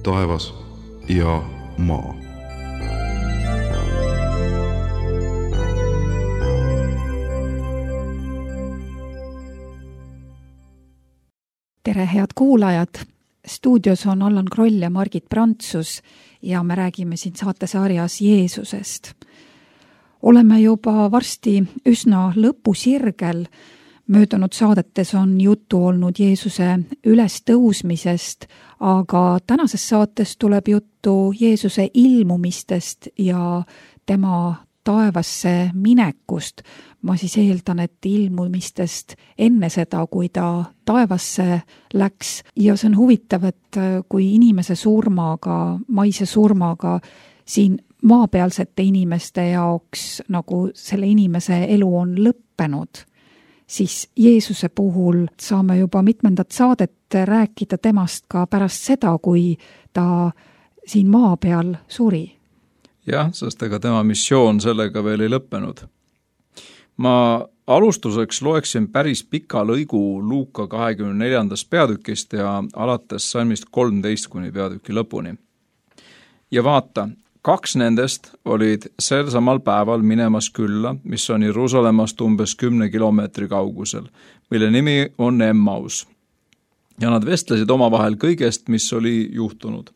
taevas ja maa. Tere, head kuulajad! Stuudios on Allan Kroll ja Margit Prantsus ja me räägime siin saatesarjas Jeesusest. Oleme juba varsti üsna lõpusirgel. Möödunud saadetes on juttu olnud Jeesuse ülestõusmisest, aga tänases saates tuleb juttu Jeesuse ilmumistest ja tema taevasse minekust. Ma siis eeldan, et ilmumistest enne seda, kui ta taevasse läks. Ja see on huvitav, et kui inimese surmaga, maise surmaga siin maapealsete inimeste jaoks nagu selle inimese elu on lõppenud, siis Jeesuse puhul saame juba mitmendat saadet rääkida temast ka pärast seda, kui ta siin maa peal suri. Jah, sest ega tema missioon sellega veel ei lõppenud. Ma alustuseks loeksin päris pika lõigu Luuka 24. peatükist ja alates salmist 13 kuni peatüki lõpuni. Ja vaata, 2 nendest olid sel samal päeval minemas külla, mis on Jeruusalemmast umbes 10 kilomeetri kaugusel, mille nimi on Emmaus. Ja nad vestlesid omavahel kõigest, mis oli juhtunud.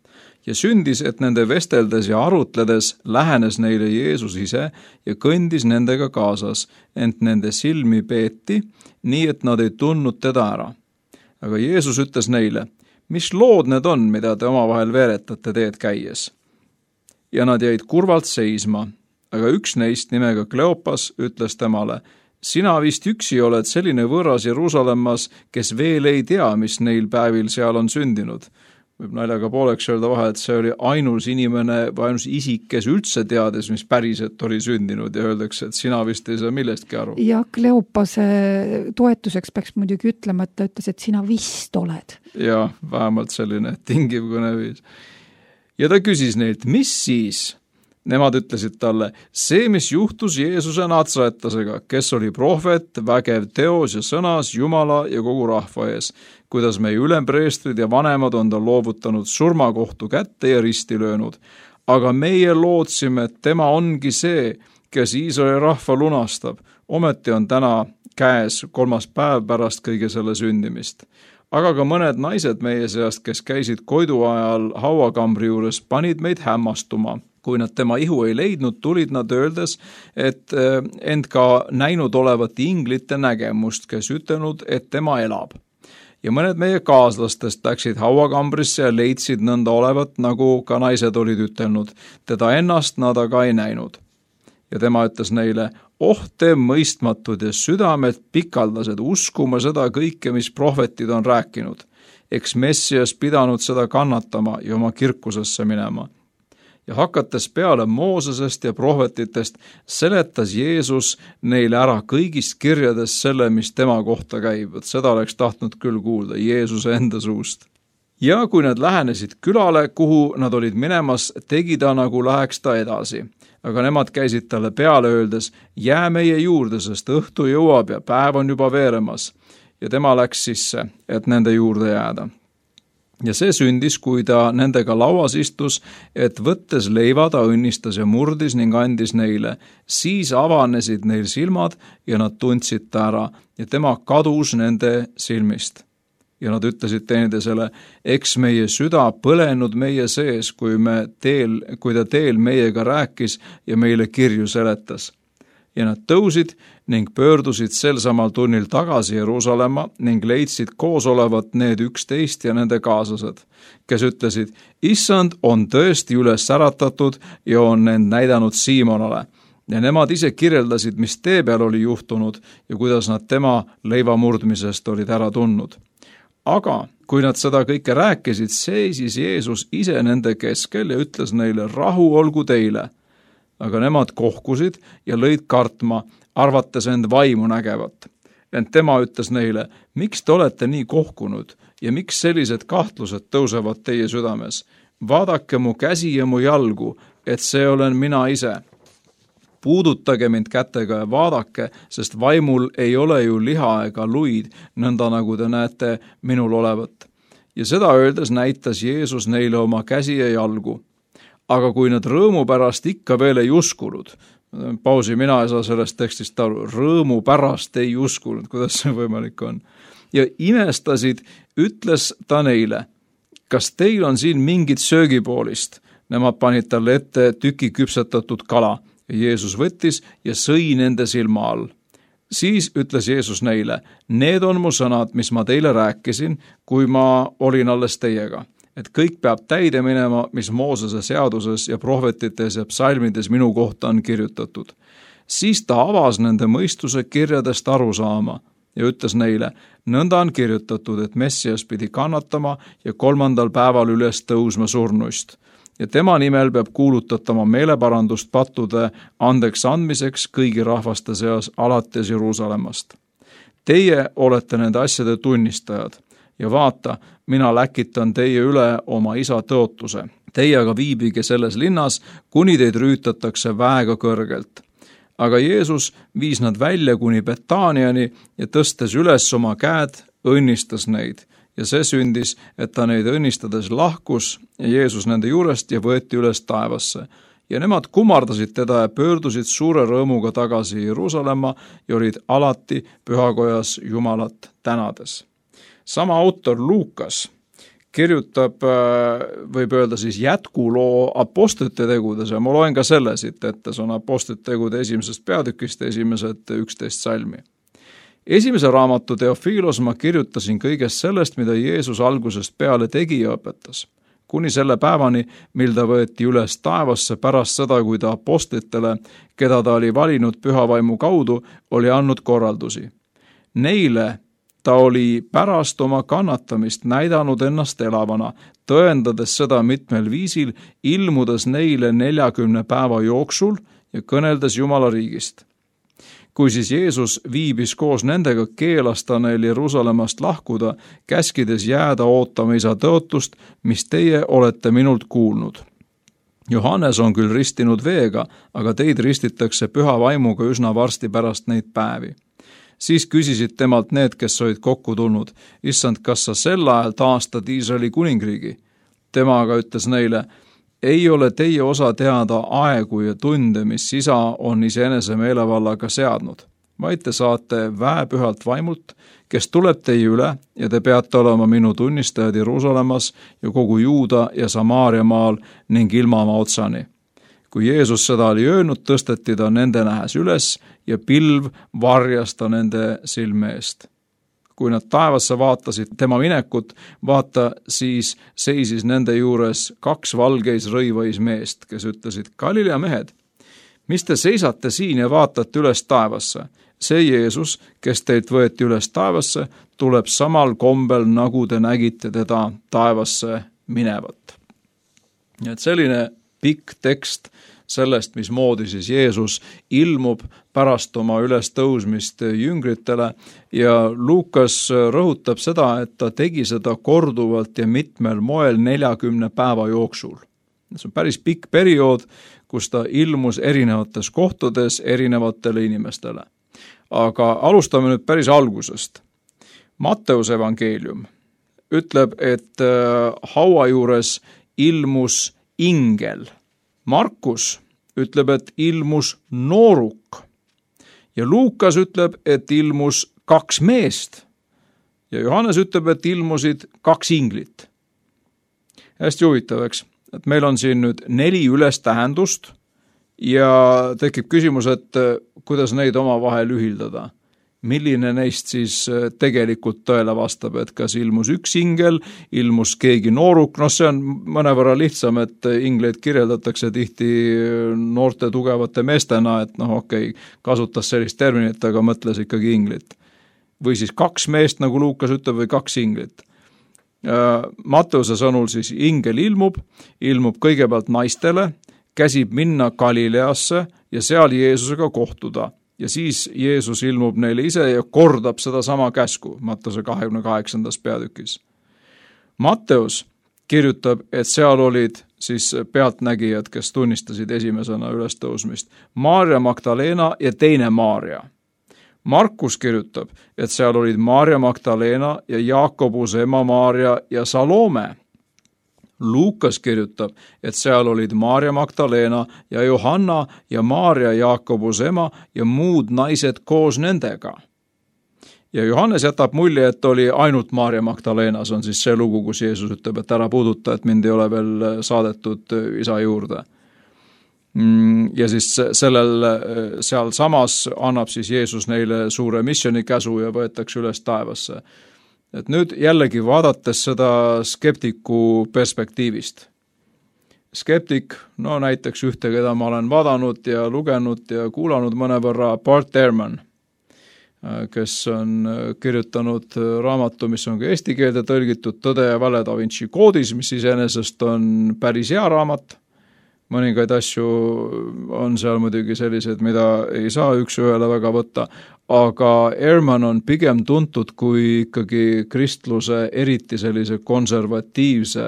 Ja sündis, et nende vesteldes ja arutledes lähenes neile Jeesus ise ja kõndis nendega kaasas, ent nende silmi peeti, nii et nad ei tundnud teda ära. Aga Jeesus ütles neile, mis lood need on, mida te omavahel veeretate teed käies? Ja nad jäid kurvalt seisma, aga üks neist nimega Kleopas ütles temale, sina vist üksi oled selline võõras Jeruusalemmas, kes veel ei tea, mis neil päevil seal on sündinud. Võib naljaga pooleks öelda vahel, et see oli ainus inimene või ainus isik, kes üldse teades, mis päriselt oli sündinud ja öeldakse, et sina vist ei saa millestki aru. Ja Kleopase toetuseks peaks muidugi ütlema, et ta ütles, et sina vist oled. Ja, vähemalt selline tingiv kõneviis. Ja ta küsis neilt, mis siis? Nemad ütlesid talle, see, mis juhtus Jeesuse Natsaretasega, kes oli prohvet, vägev teos ja sõnas Jumala ja kogu rahva ees, kuidas meie ülempreestrid ja vanemad on ta loovutanud surmakohtu kätte ja risti löönud. Aga meie lootsime, et tema ongi see, kes Iisraeli rahva lunastab. Ometi on täna käes 3. päev pärast kõige selle sündimist. Aga ka mõned naised meie seast, kes käisid koidu ajal hauakambri juures, panid meid hämmastuma. Kui nad tema ihu ei leidnud, tulid nad öeldes, et end ka näinud olevat inglite nägemust, kes ütelnud, et tema elab. Ja mõned meie kaaslastest läksid hauakambrisse ja leidsid nõnda olevat, nagu ka naised olid ütelnud. Teda ennast nad aga ei näinud. Ja tema ütles neile, te mõistmatud ja südamed pikaldased uskuma seda kõike, mis prohvetid on rääkinud. Eks Messias pidanud seda kannatama ja oma kirkusesse minema. Ja hakates peale Moosesest ja prohvetitest, seletas Jeesus neile ära kõigist kirjades selle, mis tema kohta käib. Seda oleks tahtnud küll kuulda Jeesuse enda suust. Ja kui nad lähenesid külale, kuhu nad olid minemas, tegi ta nagu läheks ta edasi. Aga nemad käisid talle peale öeldes, jää meie juurde, sest õhtu jõuab ja päev on juba veeremas. Ja tema läks sisse, et nende juurde jääda. Ja see sündis, kui ta nendega lauas istus, et võttes leiva ta õnnistas ja murdis ning andis neile. Siis avanesid neil silmad ja nad tundsid ta ära ja tema kadus nende silmist. Ja nad ütlesid teineteisele, eks meie süda põlenud meie sees, kui ta teel meiega rääkis ja meile kirju seletas. Ja nad tõusid ning pöördusid sel samal tunnil tagasi Jeruusalemma ning leidsid koos olevat need 11 ja nende kaaslased, kes ütlesid, issand on tõesti üles äratatud ja on end näidanud Siimonale. Ja nemad ise kirjeldasid, mis tee peal oli juhtunud ja kuidas nad tema leiva murdmisest olid ära tundnud. Aga kui nad seda kõike rääkisid, seisis Jeesus ise nende keskel ja ütles neile, rahu olgu teile. Aga nemad kohkusid ja lõid kartma, arvates end vaimu nägevat. Ent tema ütles neile, miks te olete nii kohkunud ja miks sellised kahtlused tõusevad teie südames? Vaadake mu käsi ja mu jalgu, et see olen mina ise. Puudutage mind kätega ja vaadake, sest vaimul ei ole ju liha ega luid, nõnda nagu te näete minul olevat. ja seda öeldes näitas Jeesus neile oma käsi ja jalgu. Aga kui nad rõõmu pärast ikka veel ei uskunud, pausi, mina ei saa sellest tekstist aru, rõõmu pärast ei uskunud, kuidas see võimalik on, ja imestasid, ütles ta neile, kas teil on siin mingit söögipoolist? Nemad panid talle ette tüki küpsetatud kala ja Jeesus võttis ja sõi nende silma all. Siis ütles Jeesus neile, need on mu sõnad, mis ma teile rääkisin, kui ma olin alles teiega, et kõik peab täide minema, mis Moosese seaduses ja prohvetites ja psalmides minu kohta on kirjutatud. Siis ta avas nende mõistuse kirjadest aru saama ja ütles neile, nõnda on kirjutatud, et Messias pidi kannatama ja 3. päeval üles tõusma surnuist. Ja tema nimel peab kuulutatama meeleparandust pattude andeks andmiseks kõigi rahvaste seas alates Jeruusalemmast. Teie olete nende asjade tunnistajad ja vaata, mina läkitan teie üle oma isa tõotuse. Teie aga viibige selles linnas, kuni teid rüütatakse väega kõrgelt. Aga Jeesus viis nad välja kuni Betaaniani ja tõstes üles oma käed, õnnistas neid. Ja see sündis, et ta neid õnnistades lahkus ja Jeesus nende juurest ja võeti üles taevasse. Ja nemad kummardasid teda ja pöördusid suure rõõmuga tagasi Jeruusalemma ja olid alati pühakojas Jumalat tänades. Sama autor Luukas kirjutab, võib öelda siis jätkuloo apostlite tegudes ja ma loen ka selle siit ette, see on apostlite tegude 1. peatükist esimesed 11 salmi. Esimese raamatu Teofilos ma kirjutasin kõigest sellest, mida Jeesus algusest peale tegi ja õpetas, kuni selle päevani, mil ta võeti üles taevasse pärast seda, kui ta apostlitele, keda ta oli valinud pühavaimu kaudu, oli andnud korraldusi. Neile ta oli pärast oma kannatamist näidanud ennast elavana, tõendades seda mitmel viisil, ilmudes neile 40 päeva jooksul ja kõneldes Jumala riigist. Kui siis Jeesus viibis koos nendega, keelas ta neil Jeruusalemmast lahkuda, käskides jääda ootama isa tõotust, mis teie olete minult kuulnud. Johannes on küll ristinud veega, aga teid ristitakse püha vaimuga üsna varsti pärast neid päevi. Siis küsisid temalt need, kes olid kokku tulnud, issand, kas sa sel ajal taastad Iisraeli kuningriigi? Tema aga ütles neile, ei ole teie osa teada aegu ja tunde, mis isa on iseenese meelevallaga seadnud, vaid te saate väepühalt vaimult, kes tuleb teie üle ja te peate olema minu tunnistajad Jeruusalemmas ja kogu Juuda ja Samaaria maal ning ilmamaa otsani. Kui Jeesus seda oli öelnud, tõsteti ta nende nähes üles ja pilv varjas ta nende silme eest. Kui nad taevasse vaatasid tema minekut, vaata siis seisis nende juures 2 valgeis rõivais meest, kes ütlesid, Galilea mehed, mis te seisate siin ja vaatate üles taevasse? See Jeesus, kes teilt võeti üles taevasse, tuleb samal kombel, nagu te nägite teda taevasse minevat. Nii et selline pikk tekst sellest, mismoodi siis Jeesus ilmub pärast oma ülestõusmist jüngritele ja Luukas rõhutab seda, et ta tegi seda korduvalt ja mitmel moel 40 päeva jooksul. See on päris pikk periood, kus ta ilmus erinevates kohtades erinevatele inimestele. Aga alustame nüüd päris algusest. Matteuse evangeelium ütleb, et haua juures ilmus ingel. Markus ütleb, et ilmus nooruk ja Luukas ütleb, et ilmus 2 meest ja Johannes ütleb, et ilmusid 2 inglit. Hästi huvitav, eks, et meil on siin nüüd 4 ülestähendust ja tekib küsimus, et kuidas neid omavahel ühildada. Milline neist siis tegelikult tõele vastab, et kas ilmus 1 ingel, ilmus keegi nooruk, see on mõnevõrra lihtsam, et ingleid kirjeldatakse tihti noorte tugevate meestena, et kasutas sellist terminit, aga mõtles ikkagi inglit. Või siis 2 meest, nagu Luukas ütleb, või 2 inglit. Matteuse sõnul siis ingel ilmub kõigepealt naistele, käsib minna Galileasse ja seal Jeesusega kohtuda. Ja siis Jeesus ilmub neile ise ja kordab seda sama käsku Matteuse 28. peatükis. Matteus kirjutab, et seal olid siis pealtnägijad, kes tunnistasid esimesena ülestõusmist. Maarja Magdalena ja teine Maarja. Markus kirjutab, et seal olid Maarja Magdalena ja Jaakobuse ema Maarja ja Salome. Luukas kirjutab, et seal olid Maarja Magdalena ja Johanna ja Maarja Jaakobuse ema ja muud naised koos nendega. Ja Johannes jätab mulje, et oli ainult Maarja Magdalena, see on siis see lugu, kus Jeesus ütleb, et ära puuduta, et mind ei ole veel saadetud isa juurde. Ja siis seal samas annab siis Jeesus neile suure missionikäsu ja võetakse üles taevasse. Et nüüd jällegi vaadates seda skeptiku perspektiivist. Skeptik, no näiteks ühte, keda ma olen vaadanud ja lugenud ja kuulanud mõnevõrra, Bart Ehrman, kes on kirjutanud raamatu, mis on ka eesti keelde tõlgitud, Tõde ja vale Da Vinci koodis, mis iseenesest on päris hea raamat. Mõningaid asju on seal muidugi sellised, mida ei saa üks ühele väga võtta, aga Ehrman on pigem tuntud kui ikkagi kristluse, eriti sellise konservatiivse,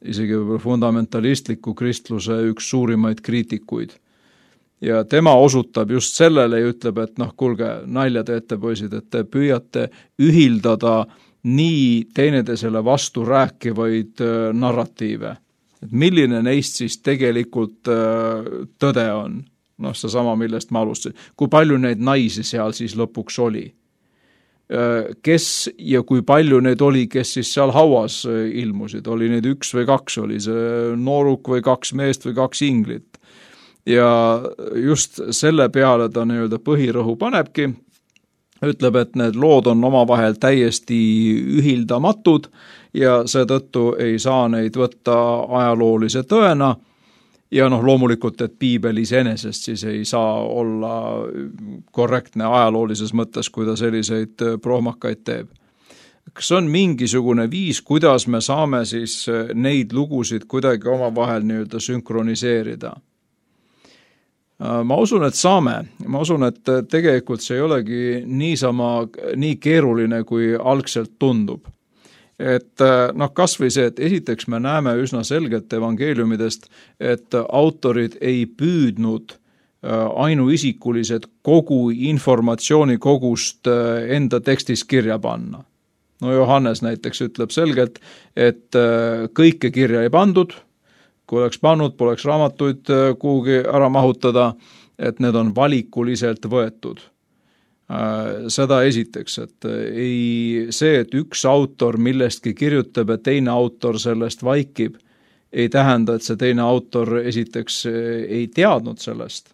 isegi võib-olla fundamentalistliku kristluse üks suurimaid kriitikuid. Ja tema osutab just sellele ja ütleb, et kuulge, nalja teete poisid, et te püüate ühildada nii teineteisele vastu rääkivaid narratiive. Et milline neist siis tegelikult tõde on? See sama, millest ma alustasin. Kui palju neid naisi seal siis lõpuks oli? Kes ja kui palju neid oli, kes siis seal hauas ilmusid? Oli neid 1 või 2? Oli see nooruk või 2 meest või 2 inglit? Ja just selle peale ta nii-öelda põhirõhu panebki, ütleb, et need lood on omavahel täiesti ühildamatud ja seetõttu ei saa neid võtta ajaloolise tõena ja loomulikult, et piibel iseenesest siis ei saa olla korrektne ajaloolises mõttes, kui ta selliseid prohmakaid teeb. Kas on mingisugune viis, kuidas me saame siis neid lugusid kuidagi omavahel nii-öelda sünkroniseerida? Ma usun, et saame. Ma usun, et tegelikult see ei olegi nii keeruline, kui algselt tundub. Et kas või see, et esiteks me näeme üsna selgelt evangeeliumidest, et autorid ei püüdnud ainuisikulised kogu informatsioonikogust enda tekstis kirja panna. Johannes näiteks ütleb selgelt, et kõike kirja ei pandud, kui oleks pannud, poleks raamatuid kuhugi ära mahutada, et need on valikuliselt võetud. Seda esiteks, et see, et üks autor millestki kirjutab ja teine autor sellest vaikib, ei tähenda, et see teine autor esiteks ei teadnud sellest.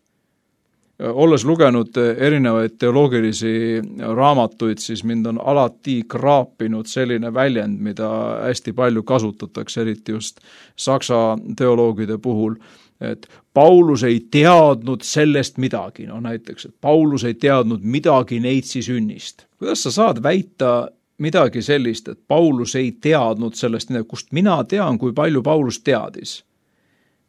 Olles lugenud erinevaid teoloogilisi raamatuid, siis mind on alati kraapinud selline väljend, mida hästi palju kasutatakse, eriti just saksa teoloogide puhul, et Paulus ei teadnud sellest midagi. Näiteks, et Paulus ei teadnud midagi neitsi sünnist. Kuidas sa saad väita midagi sellist, et Paulus ei teadnud sellest midagi, kust mina tean, kui palju Paulus teadis?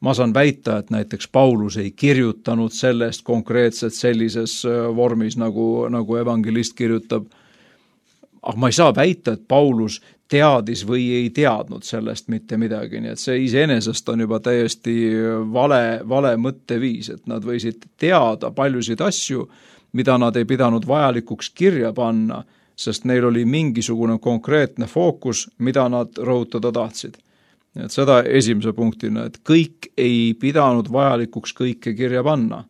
Ma saan väita, et näiteks Paulus ei kirjutanud sellest konkreetselt sellises vormis, nagu evangelist kirjutab. Aga ma ei saa väita, et Paulus teadis või ei teadnud sellest mitte midagi, nii et see iseenesest on juba täiesti vale mõtteviis, et nad võisid teada paljusid asju, mida nad ei pidanud vajalikuks kirja panna, sest neil oli mingisugune konkreetne fookus, mida nad rõhutada tahtsid. Et seda esimese punktina, et kõik ei pidanud vajalikuks kõike kirja panna.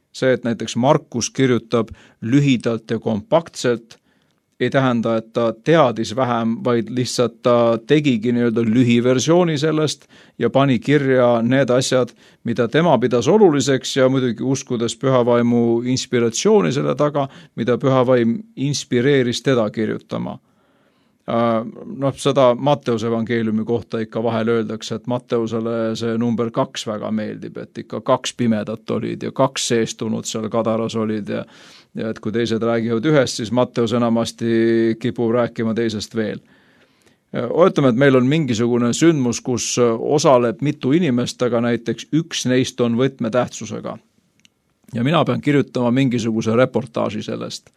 See, et näiteks Markus kirjutab lühidalt ja kompaktselt, ei tähenda, et ta teadis vähem, vaid lihtsalt ta tegigi nii-öelda lühiversiooni sellest ja pani kirja need asjad, mida tema pidas oluliseks ja muidugi uskudes pühavaimu inspiratsiooni selle taga, mida pühavaim inspireeris teda kirjutama. Seda Matteuse evangeeliumi kohta ikka vahel öeldakse, et Matteusele see number 2 väga meeldib, et ikka 2 pimedat olid ja 2 seestunud seal Kadaras olid ja et kui teised räägivad ühest, siis Matteus enamasti kipub rääkima teisest veel. Oletame, et meil on mingisugune sündmus, kus osaleb mitu inimest, aga näiteks üks neist on võtmetähtsusega. Ja mina pean kirjutama mingisuguse reportaaži sellest.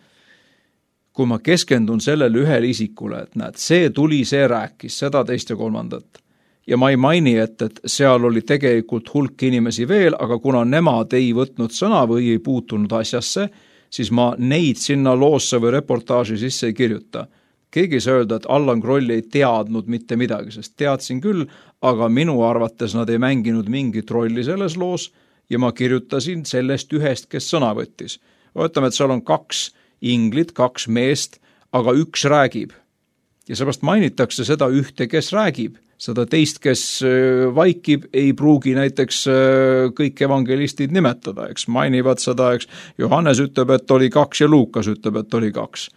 Kui ma keskendun sellele ühele isikule, et näed, see tuli, see rääkis, seda, teist ja kolmandat. Ja ma ei maini, et seal oli tegelikult hulk inimesi veel, aga kuna nemad ei võtnud sõna või ei puutunud asjasse, siis ma neid sinna loosse või reportaaži sisse ei kirjuta. Keegi ei saa öelda, et Allan Kroll ei teadnud mitte midagi, sest teadsin küll, aga minu arvates nad ei mänginud mingit rolli selles loos ja ma kirjutasin sellest ühest, kes sõna võttis. Võtame, et seal on 2 inglit, 2 meest, aga üks räägib. Ja seepärast mainitakse seda ühte, kes räägib. Seda teist, kes vaikib, ei pruugi näiteks kõik evangelistid nimetada, eks mainivad seda, eks Johannes ütleb, et oli 2 ja Luukas ütleb, et oli 2.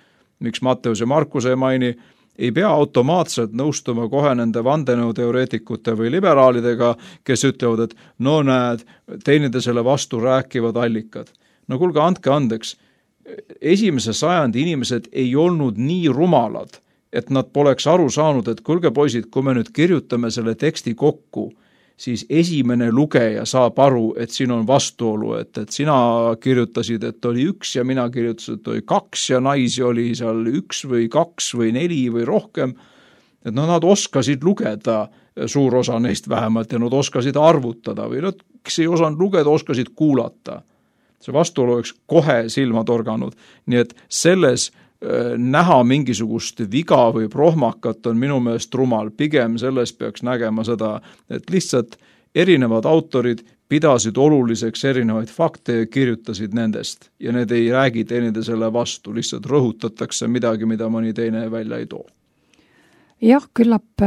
Miks Matteus ja Markus ei maini, ei pea automaatselt nõustuma kohe nende vandenõuteoreetikute või liberaalidega, kes ütlevad, et no näed, teineteisele vastu rääkivad allikad. No kuulge, andke andeks, 1. sajandi inimesed ei olnud nii rumalad, et nad poleks aru saanud, et kuulge poisid, kui me nüüd kirjutame selle teksti kokku, siis esimene lugeja saab aru, et siin on vastuolu, et sina kirjutasid, et oli 1 ja mina kirjutasin, et oli 2 ja naisi oli seal 1 või 2 või 4 või rohkem. Et nad oskasid lugeda, suur osa neist vähemalt, ja nad oskasid arvutada või nad, kes ei osanud lugeda, oskasid kuulata. See vastuolu oleks kohe silma torganud. Nii et selles näha mingisugust viga või prohmakat on minu meelest rumal. Pigem selles peaks nägema seda, et lihtsalt erinevad autorid pidasid oluliseks erinevaid fakte ja kirjutasid nendest. Ja need ei räägi teineteisele vastu, lihtsalt rõhutatakse midagi, mida mõni teine välja ei too. Jah, küllap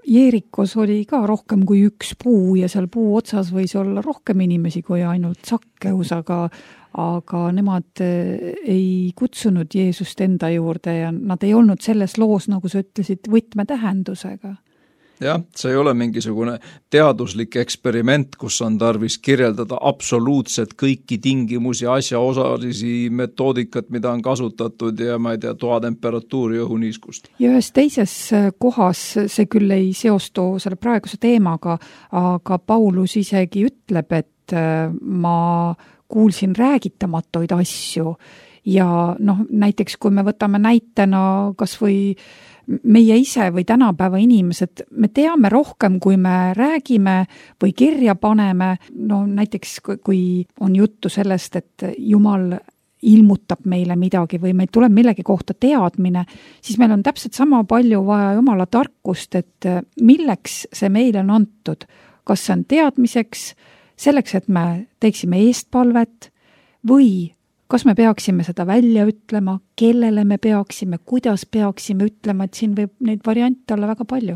Jeerikos oli ka rohkem kui 1 puu ja seal puu otsas võis olla rohkem inimesi kui ainult Sakkeus, aga nemad ei kutsunud Jeesust enda juurde ja nad ei olnud selles loos, nagu sa ütlesid, võtmetähendusega. Jah, see ei ole mingisugune teaduslik eksperiment, kus on tarvis kirjeldada absoluutselt kõiki tingimusi, asjaosalisi, metoodikat, mida on kasutatud ja ma ei tea, toatemperatuuri õhuniiskust. Ja ühes teises kohas, see küll ei seostu selle praeguse teemaga, aga Paulus isegi ütleb, et ma kuulsin räägitamatuid asju ja näiteks kui me võtame näitena kas või meie ise või tänapäeva inimesed, me teame rohkem, kui me räägime või kirja paneme. Näiteks kui on juttu sellest, et Jumal ilmutab meile midagi või meil tuleb millegi kohta teadmine, siis meil on täpselt sama palju vaja Jumala tarkust, et milleks see meile on antud. Kas see on teadmiseks, selleks, et me teeksime eestpalvet või kas me peaksime seda välja ütlema, kellele me peaksime, kuidas peaksime ütlema, et siin võib neid variante olla väga palju.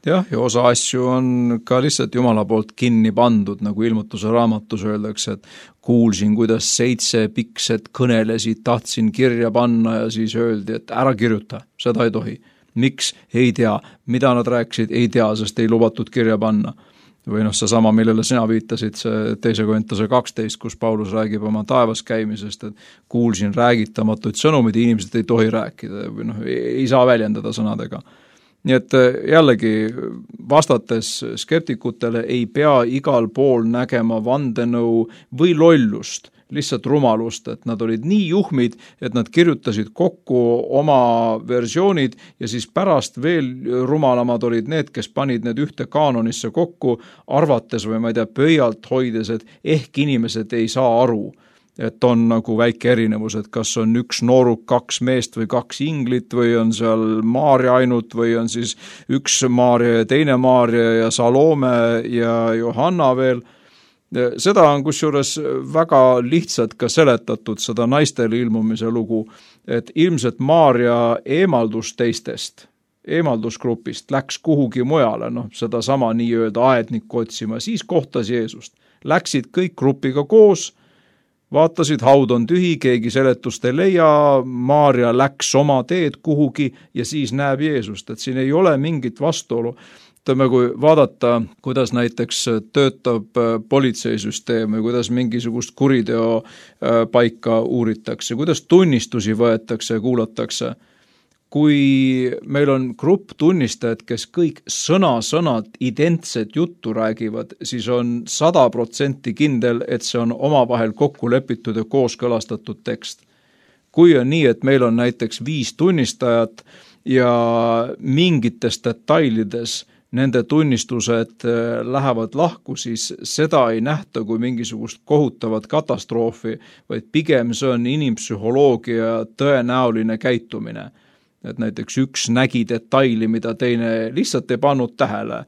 Jah, ja osa asju on ka lihtsalt Jumala poolt kinni pandud, nagu ilmutuse raamatus öeldakse, et kuulsin, kuidas 7 pikset kõnelesid, tahtsin kirja panna ja siis öeldi, et ära kirjuta, seda ei tohi. Miks? Ei tea. Mida nad rääkisid? Ei tea, sest ei lubatud kirja panna. Või see sama, millele sina viitasid, see 2. Korintuse 12, kus Paulus räägib oma taevas käimisest, et kuulsin räägitamatuid sõnumeid, inimesed ei tohi rääkida või ei saa väljendada sõnadega. Nii et jällegi vastates skeptikutele ei pea igal pool nägema vandenõu või lollust, lihtsalt rumalust, et nad olid nii juhmid, et nad kirjutasid kokku oma versioonid ja siis pärast veel rumalamad olid need, kes panid need ühte kaanonisse kokku, arvates või ma ei tea, pöialt hoides, et ehk inimesed ei saa aru, et on nagu väike erinevus, et kas on 1 nooruk, 2 meest või 2 inglit või on seal Maarja ainult või on siis 1 Maarja ja teine Maarja ja Salome ja Johanna veel. Seda on kusjuures väga lihtsalt ka seletatud, seda naistele ilmumise lugu, et ilmselt Maarja eemaldus teistest, eemaldusgrupist, läks kuhugi mujale, seda sama nii-öelda aednikku otsima, siis kohtas Jeesust. Läksid kõik grupiga koos, vaatasid, haud on tühi, keegi seletust ei leia, Maarja läks oma teed kuhugi ja siis näeb Jeesust, et siin ei ole mingit vastuolu. Kui vaadata, kuidas näiteks töötab politseisüsteem või kuidas mingisugust kuriteo paika uuritakse, kuidas tunnistusi võetakse ja kuulatakse. Kui meil on grupp tunnistajad, kes kõik sõna-sõnad identset juttu räägivad, siis on 100% kindel, et see on omavahel kokku lepitud ja kooskõlastatud tekst. Kui on nii, et meil on näiteks 5 tunnistajat ja mingites detailides nende tunnistused lähevad lahku, siis seda ei nähta kui mingisugust kohutavat katastroofi, vaid pigem see on inimpsühholoogia tõenäoline käitumine. Et näiteks üks nägi detaili, mida teine lihtsalt ei pannud tähele.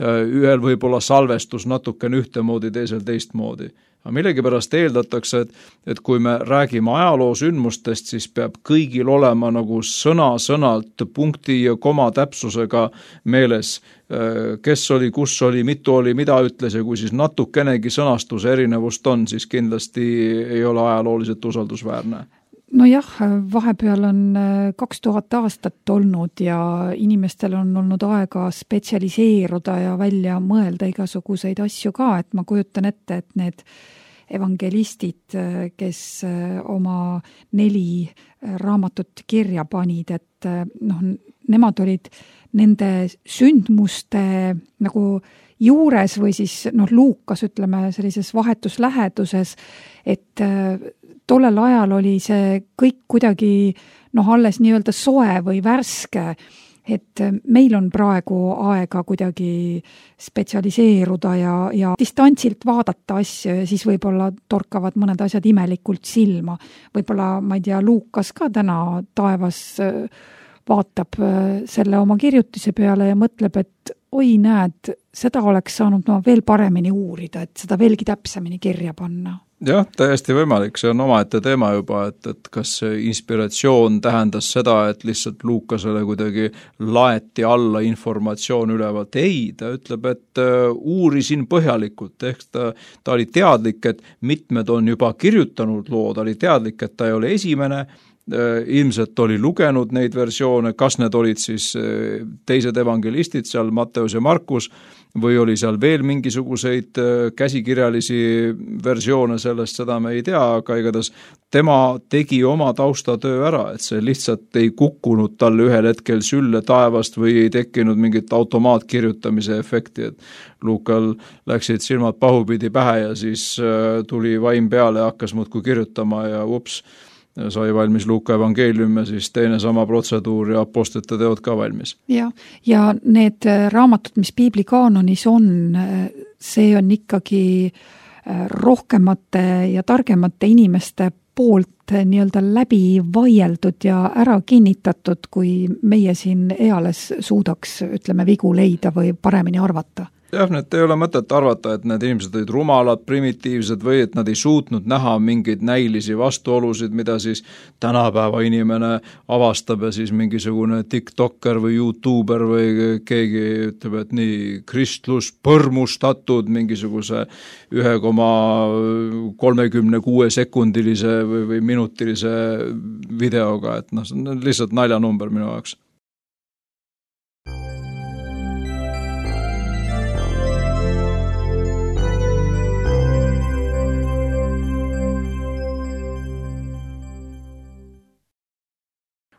Ühel võib-olla salvestus natukene ühtemoodi, teisel teistmoodi. Aga millegipärast eeldatakse, et kui me räägime ajaloo sündmustest, siis peab kõigil olema nagu sõna-sõnalt punkti ja koma täpsusega meeles, kes oli, kus oli, mitu oli, mida ütles ja kui siis natukenegi sõnastuse erinevust on, siis kindlasti ei ole ajalooliselt usaldusväärne. No jah, vahepeal on 2000 aastat olnud ja inimestel on olnud aega spetsialiseeruda ja välja mõelda igasuguseid asju ka, et ma kujutan ette, et need evangelistid, kes oma 4 raamatut kirja panid, et nemad olid nende sündmuste nagu juures või siis Luukas, ütleme, sellises vahetus läheduses, et tollel ajal oli see kõik kuidagi alles nii-öelda soe või värske, et meil on praegu aega kuidagi spetsialiseeruda ja distantsilt vaadata asju ja siis võib-olla torkavad mõned asjad imelikult silma. Võib-olla, ma ei tea, Luukas ka täna taevas vaatab selle oma kirjutise peale ja mõtleb, et oi näed, seda oleks saanud veel paremini uurida, et seda veelgi täpsemini kirja panna. Jah, täiesti võimalik, see on omaette teema juba, et kas inspiratsioon tähendas seda, et lihtsalt Luukasele kuidagi laeti alla informatsioon ülevalt. Ei, ta ütleb, et uurisin põhjalikult, ehk ta oli teadlik, et mitmed on juba kirjutanud loo, ta oli teadlik, et ta ei ole esimene, ilmselt oli lugenud neid versioone, kas need olid siis teised evangelistid, seal Matteus ja Markus, või oli seal veel mingisuguseid käsikirjalisi versioone sellest, seda me ei tea, aga igatahes tema tegi oma taustatöö ära, et see lihtsalt ei kukkunud talle ühel hetkel sülle taevast või ei tekkinud mingit automaatkirjutamise efekti, et Luukal läksid silmad pahupidi pähe ja siis tuli vaim peale ja hakkas muudkui kirjutama ja sai valmis Luuka evangeelium ja siis teine sama protseduur ja apostlite teod ka valmis. Ja need raamatud, mis piibli kaanonis on, see on ikkagi rohkemate ja targemate inimeste poolt nii-öelda läbi vaieldud ja ära kinnitatud, kui meie siin eales suudaks, ütleme, vigu leida või paremini arvata. Jah, need ei ole mõtet arvata, et need inimesed olid rumalad, primitiivsed või et nad ei suutnud näha mingeid näilisi vastuolusid, mida siis tänapäeva inimene avastab ja siis mingisugune tiktokker või youtuber või keegi ütleb, et nii kristlus põrmustatud mingisuguse 1,36 sekundilise või minutilise videoga, et see on lihtsalt naljanumber minu jaoks.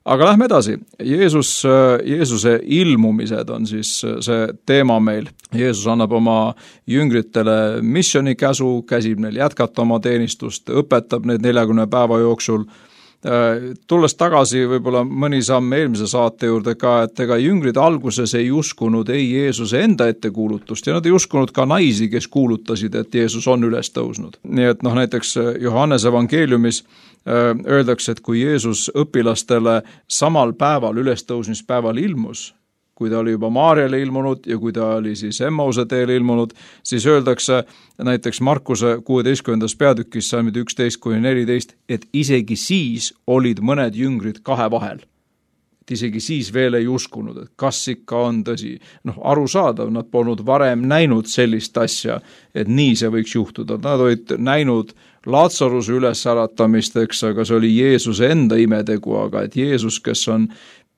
Aga lähme edasi. Jeesuse ilmumised on siis see teema meil. Jeesus annab oma jüngritele missionikäsu, käsib neil jätkata oma teenistust, õpetab neid 40 päeva jooksul. Tulles tagasi võib-olla mõni samm eelmise saate juurde ka, et ega jüngrid alguses ei uskunud ei Jeesuse enda ettekuulutust ja nad ei uskunud ka naisi, kes kuulutasid, et Jeesus on üles tõusnud. Nii et näiteks Johannese evangeeliumis öeldakse, et kui Jeesus õpilastele samal päeval, ülestõusmispäeval ilmus, kui ta oli juba Maarjale ilmunud ja kui ta oli siis Emmause teele ilmunud, siis öeldakse näiteks Markuse 16. peatükis salmid 11-14, et isegi siis olid mõned jüngrid kahe vahel. Et isegi siis veel ei uskunud, et kas ikka on tõsi. Arusaadav, nad polnud varem näinud sellist asja, et nii see võiks juhtuda. Nad olid näinud Laatsaruse ülesäratamist, aga see oli Jeesuse enda imetegu, aga et Jeesus, kes on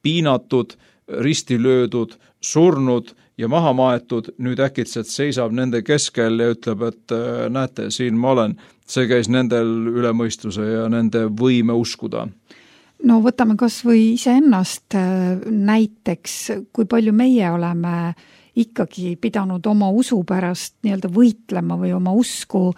piinatud, risti löödud, surnud ja maha maetud, nüüd äkitselt seisab nende keskel ja ütleb, et näete, siin ma olen. See käis nendel üle mõistuse ja nende võime uskuda. No võtame kas või iseennast näiteks, kui palju meie oleme ikkagi pidanud oma usu pärast nii-öelda võitlema või oma usku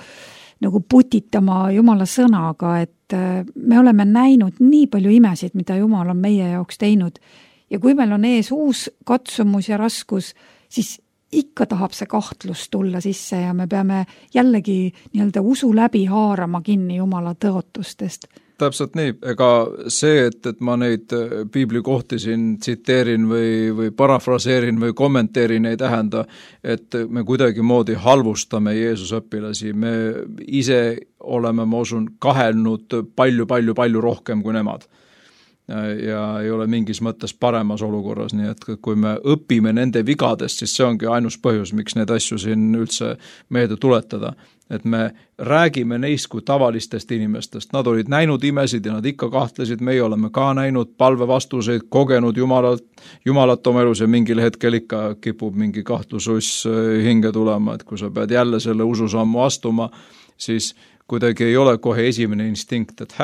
nagu putitama Jumala sõnaga, et me oleme näinud nii palju imesid, mida Jumal on meie jaoks teinud. Ja kui meil on ees uus katsumus ja raskus siis ikka tahab see kahtlus tulla sisse ja me peame jällegi nii-öelda usu läbi haarama kinni Jumala tõotustest. Täpselt nii, ega see, et ma neid piiblikohti siin tsiteerin või parafraseerin või kommenteerin, ei tähenda, et me kuidagi moodi halvustame Jeesuse õpilasi. Me ise oleme, ma usun, kahelnud palju rohkem kui nemad. Ja ei ole mingis mõttes paremas olukorras, nii et kui me õpime nende vigadest, siis see ongi ainus põhjus, miks neid asju siin üldse meelde tuletada. Et me räägime neist kui tavalistest inimestest. Nad olid näinud imesid ja nad ikka kahtlesid, meie oleme ka näinud palvevastuseid, kogenud Jumalat oma elus ja mingil hetkel ikka kipub mingi kahtlususs hinge tulema, et kui sa pead jälle selle ususammu astuma, siis kuidagi ei ole kohe esimene instinkt, et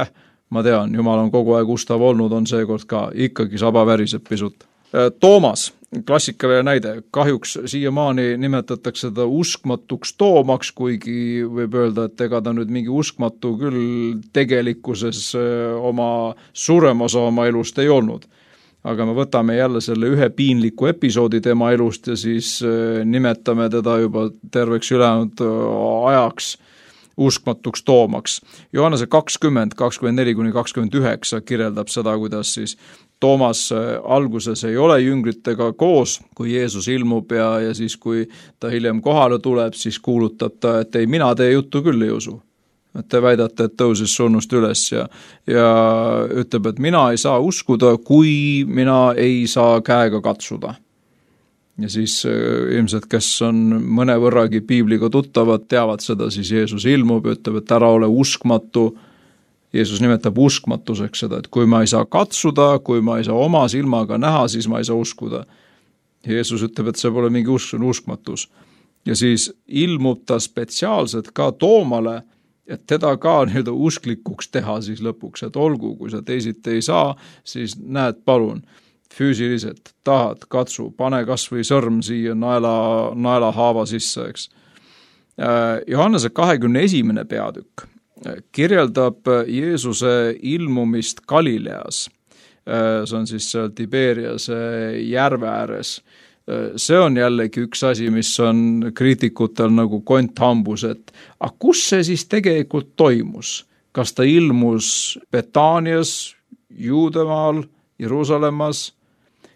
ma tean, Jumal on kogu aeg ustav olnud, on seekord ka, ikkagi saba väriseb pisut. Toomas, klassikaline näide, kahjuks siiamaani nimetatakse ta uskmatuks Toomaks, kuigi võib öelda, et ega ta nüüd mingi uskmatu küll tegelikkuses oma suurem osa oma elust ei olnud. Aga me võtame jälle selle ühe piinliku episoodi tema elust ja siis nimetame teda juba terveks ülejäänud ajaks uskmatuks Toomaks. Johannese 20, 24-29 kirjeldab seda, kuidas siis Toomas alguses ei ole jüngritega koos, kui Jeesus ilmub ja siis, kui ta hiljem kohale tuleb, siis kuulutab ta, et ei, mina teie juttu küll ei usu. Et te väidate, et tõusis surnust üles ja ütleb, et mina ei saa uskuda, kui mina ei saa käega katsuda. Ja siis ilmselt, kes on mõne võrragi piibliga tuttavad, teavad seda, siis Jeesus ilmub ja ütleb, et ära ole uskmatu. Jeesus nimetab uskmatuseks seda, et kui ma ei saa katsuda, kui ma ei saa oma silmaga näha, siis ma ei saa uskuda. Jeesus ütleb, et see pole mingi usk, see on uskmatus. Ja siis ilmub ta spetsiaalselt ka Toomale, et teda ka nii-öelda usklikuks teha siis lõpuks, et olgu, kui sa teisiti ei saa, siis näed, palun, füüsiliselt, tahad, katsu, pane kas või sõrm siia naela haava sisse, eks. Johannese 21. peatükk kirjeldab Jeesuse ilmumist Galileas. See on siis Tiberiase järve ääres. See on jällegi üks asi, mis on kriitikutel nagu konthambus, et kus see siis tegelikult toimus? Kas ta ilmus Betaanias, Juudemaal, Jeruusalemmas?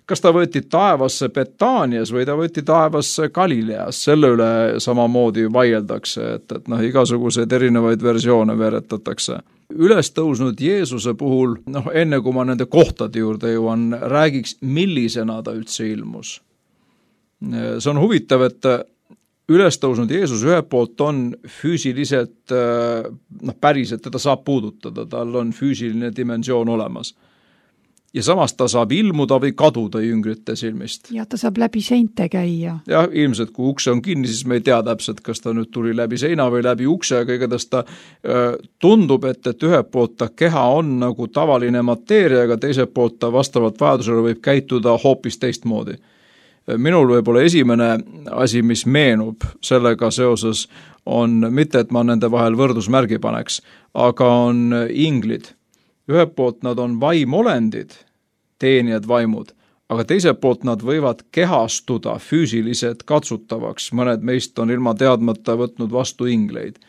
Kas ta võeti taevasse Betaanias või ta võeti taevasse Galileas? Selle üle samamoodi vaieldakse, et igasuguseid erinevaid versioone veretatakse. Üles tõusnud Jeesuse puhul, enne kui ma nende kohtade juurde jõuan, räägiks, millisena ta üldse ilmus. See on huvitav, et üles tõusnud Jeesus ühelt poolt on füüsiliselt, päriselt teda saab puudutada, tal on füüsiline dimensioon olemas. Ja samas ta saab ilmuda või kaduda jüngrite silmist. Ja ta saab läbi seinte käia. Ja ilmselt, kui ukse on kinni, siis me ei tea täpselt, kas ta nüüd tuli läbi seina või läbi ukse, aga igatahes ta tundub, et ühelt poolt ta keha on nagu tavaline mateeria, aga teiselt poolt ta vastavalt vajadusele võib käituda hoopis teistmoodi. Minul võib-olla esimene asi, mis meenub sellega seoses, on mitte, et ma nende vahel võrdusmärgi paneks, aga on inglid. Ühelt poolt nad on vaimolendid, teenijad vaimud, aga teiselt poolt nad võivad kehastuda füüsiliselt katsutavaks. Mõned meist on ilma teadmata võtnud vastu ingleid.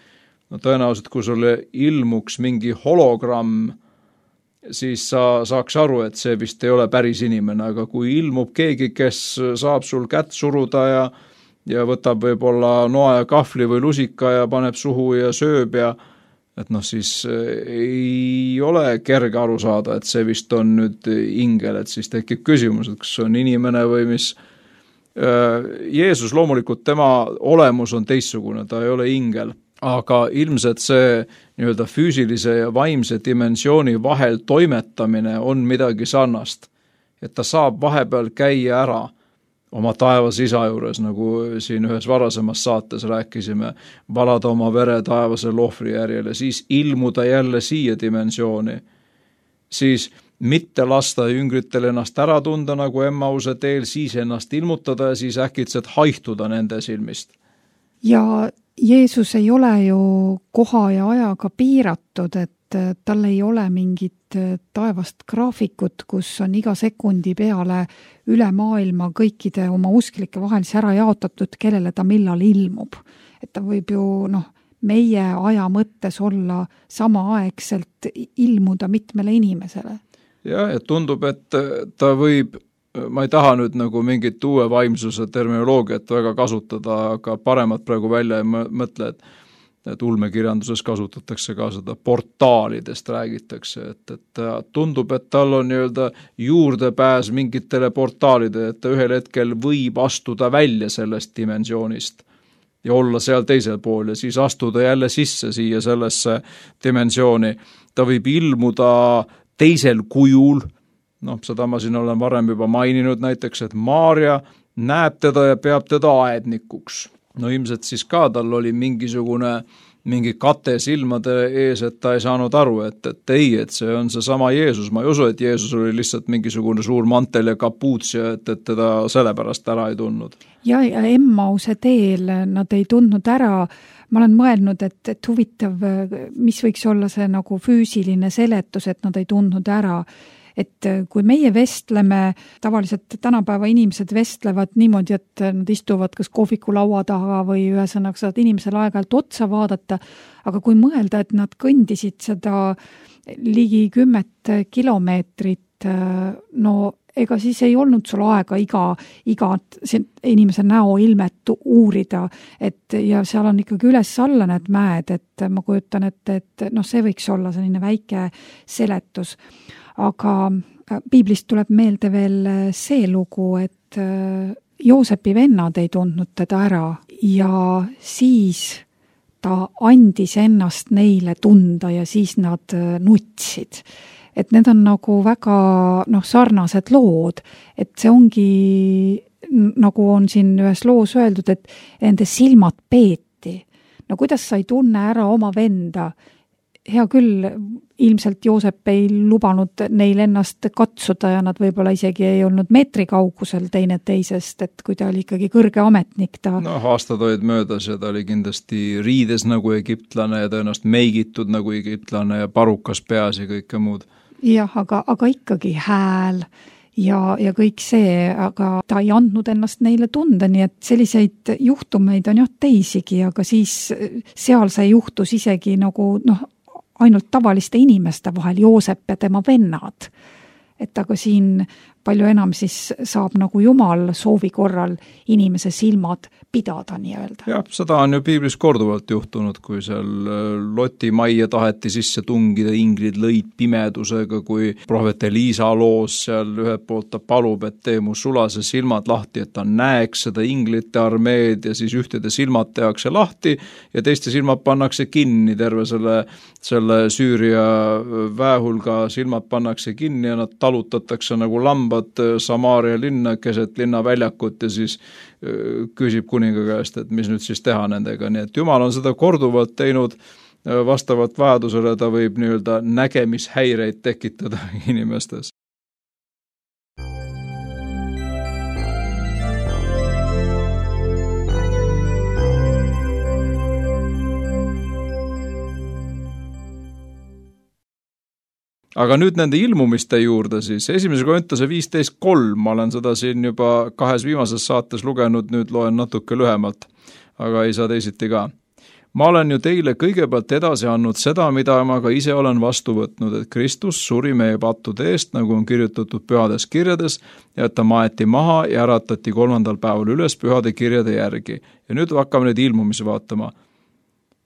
Tõenäoliselt, kui sulle ilmuks mingi hologramm, siis sa saaks aru, et see vist ei ole päris inimene, aga kui ilmub keegi, kes saab sul kätt suruda ja võtab võib-olla noa ja kahvli või lusika ja paneb suhu ja sööb ja et siis ei ole kerge aru saada, et see vist on nüüd ingel, et siis tekib küsimus, et kas see on inimene või mis. Jeesus loomulikult, tema olemus on teistsugune, ta ei ole ingel, aga ilmselt see nii-öelda füüsilise ja vaimse dimensiooni vahel toimetamine on midagi sarnast, et ta saab vahepeal käia ära oma taevas isa juures, nagu siin ühes varasemas saates rääkisime, valada oma vere taevase lohvri järjele, siis ilmuda jälle siia dimensiooni, siis mitte lasta jüngritel ennast ära tunda nagu Emmause teel, siis ennast ilmutada ja siis äkitselt haihtuda nende silmist. Ja Jeesus ei ole ju koha ja ajaga piiratud, et et tal ei ole mingit taevast graafikut, kus on iga sekundi peale üle maailma kõikide oma usklike vahelis ära jaotatud, kellele ta millal ilmub. Et ta võib ju meie aja mõttes olla samaaegselt ilmuda mitmele inimesele. Ja tundub, et ta võib, ma ei taha nüüd nagu mingit uue vaimsuse terminoloogiat väga kasutada, aga paremat praegu välja ei mõtle, et ulmekirjanduses kasutatakse ka seda portaalidest räägitakse, et tundub, et tal on juurdepääs mingitele portaalide, et ta ühel hetkel võib astuda välja sellest dimensioonist ja olla seal teisel pool ja siis astuda jälle sisse siia sellesse dimensiooni. Ta võib ilmuda teisel kujul, seda ma siin olen varem juba maininud näiteks, et Maarja näeb teda ja peab teda aednikuks. Ilmselt siis ka tal oli mingi kate silmade ees, et ta ei saanud aru, et see on see sama Jeesus. Ma ei usu, et Jeesus oli lihtsalt mingisugune suur mantel ja kapuuts ja et teda sellepärast ära ei tundnud. Ja Emmause teel nad ei tundnud ära. Ma olen mõelnud, et huvitav, mis võiks olla see nagu füüsiline seletus, et nad ei tundnud ära. Et kui meie vestleme, tavaliselt tänapäeva inimesed vestlevad niimoodi, et nad istuvad kas kohviku laua taha või ühesõnaga saad inimesele aeg-ajalt otsa vaadata, aga kui mõelda, et nad kõndisid seda ligi 10 kilomeetrit, ega siis ei olnud sul aega iga inimese näoilmet uurida, ja seal on ikkagi üles-alla need mäed, et ma kujutan, et see võiks olla selline väike seletus. Aga piiblist tuleb meelde veel see lugu, et Joosepi vennad ei tundnud teda ära ja siis ta andis ennast neile tunda ja siis nad nutsid. Et need on nagu väga sarnased lood, et see ongi, nagu on siin ühes loos öeldud, et nende silmad peeti. Kuidas sa ei tunne ära oma venda? Hea küll, ilmselt Joosep ei lubanud neil ennast katsuda ja nad võib-olla isegi ei olnud meetri kaugusel teine teisest, et kui ta oli ikkagi kõrge ametnik. Aastad olid möödas ja ta oli kindlasti riides nagu egiptlane ja tõenäoliselt meigitud nagu egiptlane ja parukas peas ja kõike muud. Jah, aga ikkagi hääl ja kõik see, aga ta ei andnud ennast neile tunda, nii et selliseid juhtumeid on teisigi, aga siis seal see juhtus isegi nagu ainult tavaliste inimeste vahel, Joosep ja tema vennad. Et aga siin palju enam siis saab nagu Jumal soovi korral inimese silmad pidada nii-öelda. Jah, seda on ju piiblis korduvalt juhtunud, kui seal Loti majja taheti sisse tungida, inglid lõid pimedusega, kui prohvet Eliisa loos seal ühelt poolt ta palub, et tee mu sulase silmad lahti, et ta näeks seda inglite armeed ja siis ühtede silmad tehakse lahti ja teiste silmad pannakse kinni, terve selle Süüria väehulga silmad pannakse kinni ja nad talutatakse nagu lambad Samaaria linna keset linnaväljakut ja siis küsib kuninga käest, et mis nüüd siis teha nendega. Nii et Jumal on seda korduvalt teinud vastavalt vajadusele, ta võib nägemishäireid tekitada inimestes. Aga nüüd nende ilmumiste juurde siis. 1. Korintuse 15:3, ma olen seda siin juba 2 viimases saates lugenud, nüüd loen natuke lühemalt, aga ei saa teisiti ka. Ma olen ju teile kõigepealt edasi andnud seda, mida ma ka ise olen vastu võtnud, et Kristus suri meie pattude eest, nagu on kirjutatud pühades kirjades, ja et ta maeti maha ja äratati 3. päeval üles pühade kirjade järgi. Ja nüüd hakkame neid ilmumisi vaatama.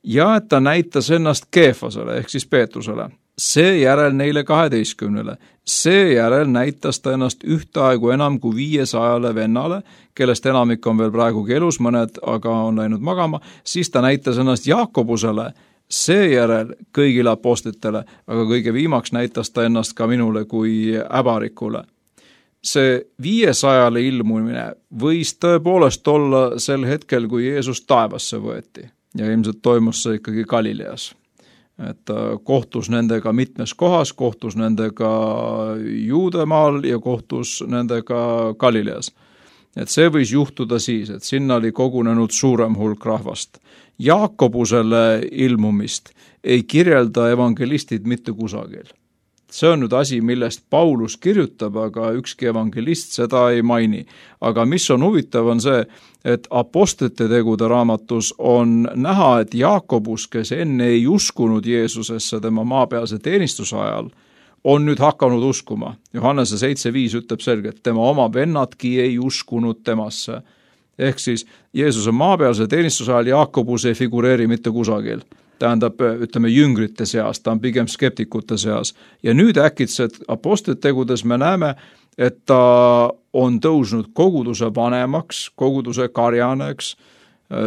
Ja et ta näitas ennast Keefasele ehk siis Peetrusele. Seejärel neile 12. Seejärel näitas ta ennast ühtaegu enam kui 500 vennale, kellest enamik on veel praegugi elus, mõned aga on läinud magama, siis ta näitas ennast Jaakobusele, seejärel kõigile apostlitele, aga kõige viimaks näitas ta ennast ka minule kui äbarikule. See 500 ilmumine võis tõepoolest olla sel hetkel, kui Jeesus taevasse võeti ja ilmselt toimus see ikkagi Galileas. Et ta kohtus nendega mitmes kohas, kohtus nendega Juudemaal ja kohtus nendega Galileas. Et see võis juhtuda siis, et sinna oli kogunenud suurem hulk rahvast. Jaakobusele ilmumist ei kirjelda evangelistid mitte kusagil. See on nüüd asi, millest Paulus kirjutab, aga ükski evangelist seda ei maini. Aga mis on huvitav, on see, et apostlite tegude raamatus on näha, et Jaakobus, kes enne ei uskunud Jeesusesse tema maapealse teenistuse ajal, on nüüd hakanud uskuma. Johannese 7.5 ütleb selgelt, tema oma vennadki ei uskunud temasse. Ehk siis Jeesuse maapealse teenistuse ajal Jaakobus ei figureeri mitte kusagil. Tähendab, ütleme, jüngrite seas, ta on pigem skeptikute seas. Ja nüüd äkitselt apostlite tegudes me näeme, et ta on tõusnud koguduse vanemaks, koguduse karjaneks.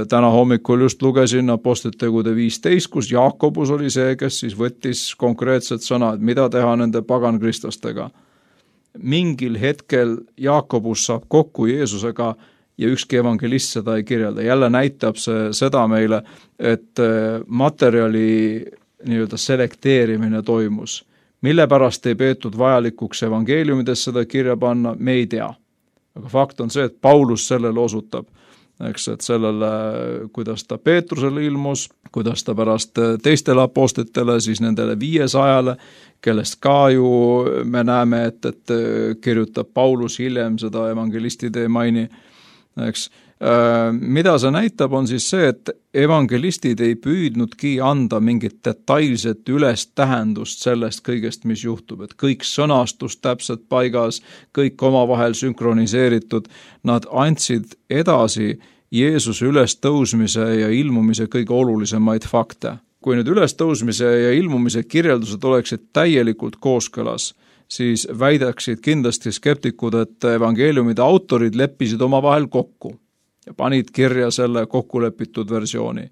Täna hommikul just lugesin apostlite tegude 15, kus Jaakobus oli see, kes siis võttis konkreetset sõna, et mida teha nende pagankristlastega. Mingil hetkel Jaakobus saab kokku Jeesusega ja ükski evangelist seda ei kirjelda. Jälle näitab see seda meile, et materjali nii-öelda selekteerimine toimus. Mille pärast ei peetud vajalikuks evangeeliumides seda kirja panna, me ei tea. Aga fakt on see, et Paulus sellele osutab. Eks, et sellele, kuidas ta Peetrusele ilmus, kuidas ta pärast teistele apostlitele, siis nendele 500, kellest ka ju me näeme, et kirjutab Paulus hiljem, seda evangelistid ei maini. Eks. Mida see näitab, on siis see, et evangelistid ei püüdnudki anda mingit detailset üles tähendust sellest kõigest, mis juhtub, et kõik sõnastus täpselt paigas, kõik omavahel sünkroniseeritud, nad andsid edasi Jeesuse ülestõusmise ja ilmumise kõige olulisemaid fakte. Kui nüüd ülestõusmise ja ilmumise kirjeldused oleksid täielikult kooskõlas, siis väidaksid kindlasti skeptikud, et evangeeliumide autorid leppisid omavahel kokku ja panid kirja selle kokkulepitud versiooni.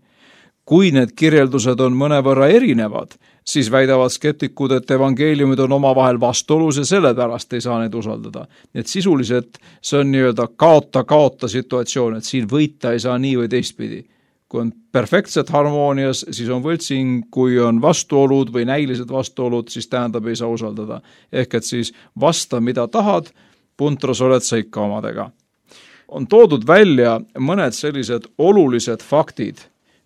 Kui need kirjeldused on mõnevõrra erinevad, siis väidavad skeptikud, et evangeeliumid on omavahel vastuolus ja sellepärast ei saa neid usaldada. Nii et sisuliselt see on nii-öelda kaota-kaota situatsioon, et siin võita ei saa nii või teistpidi. Kui on perfektselt harmoonias, siis on võltsing, kui on vastuolud või näilised vastuolud, siis tähendab ei saa usaldada. Ehk et siis vasta, mida tahad, puntras oled sa ikka omadega. On toodud välja mõned sellised olulised faktid,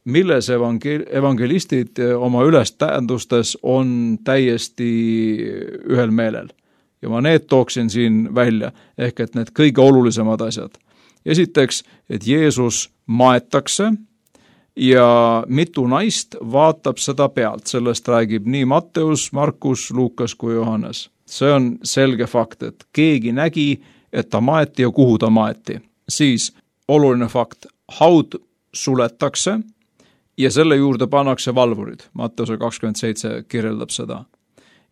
milles evangelistid oma ülestähendustes on täiesti ühel meelel. Ja ma need tooksin siin välja, ehk et need kõige olulisemad asjad. Esiteks, et Jeesus maetakse, ja mitu naist vaatab seda pealt. Sellest räägib nii Matteus, Markus, Luukas kui Johannes. See on selge fakt, et keegi nägi, et ta maeti ja kuhu ta maeti. Siis oluline fakt, haud suletakse ja selle juurde pannakse valvurid. Matteuse 27 kirjeldab seda.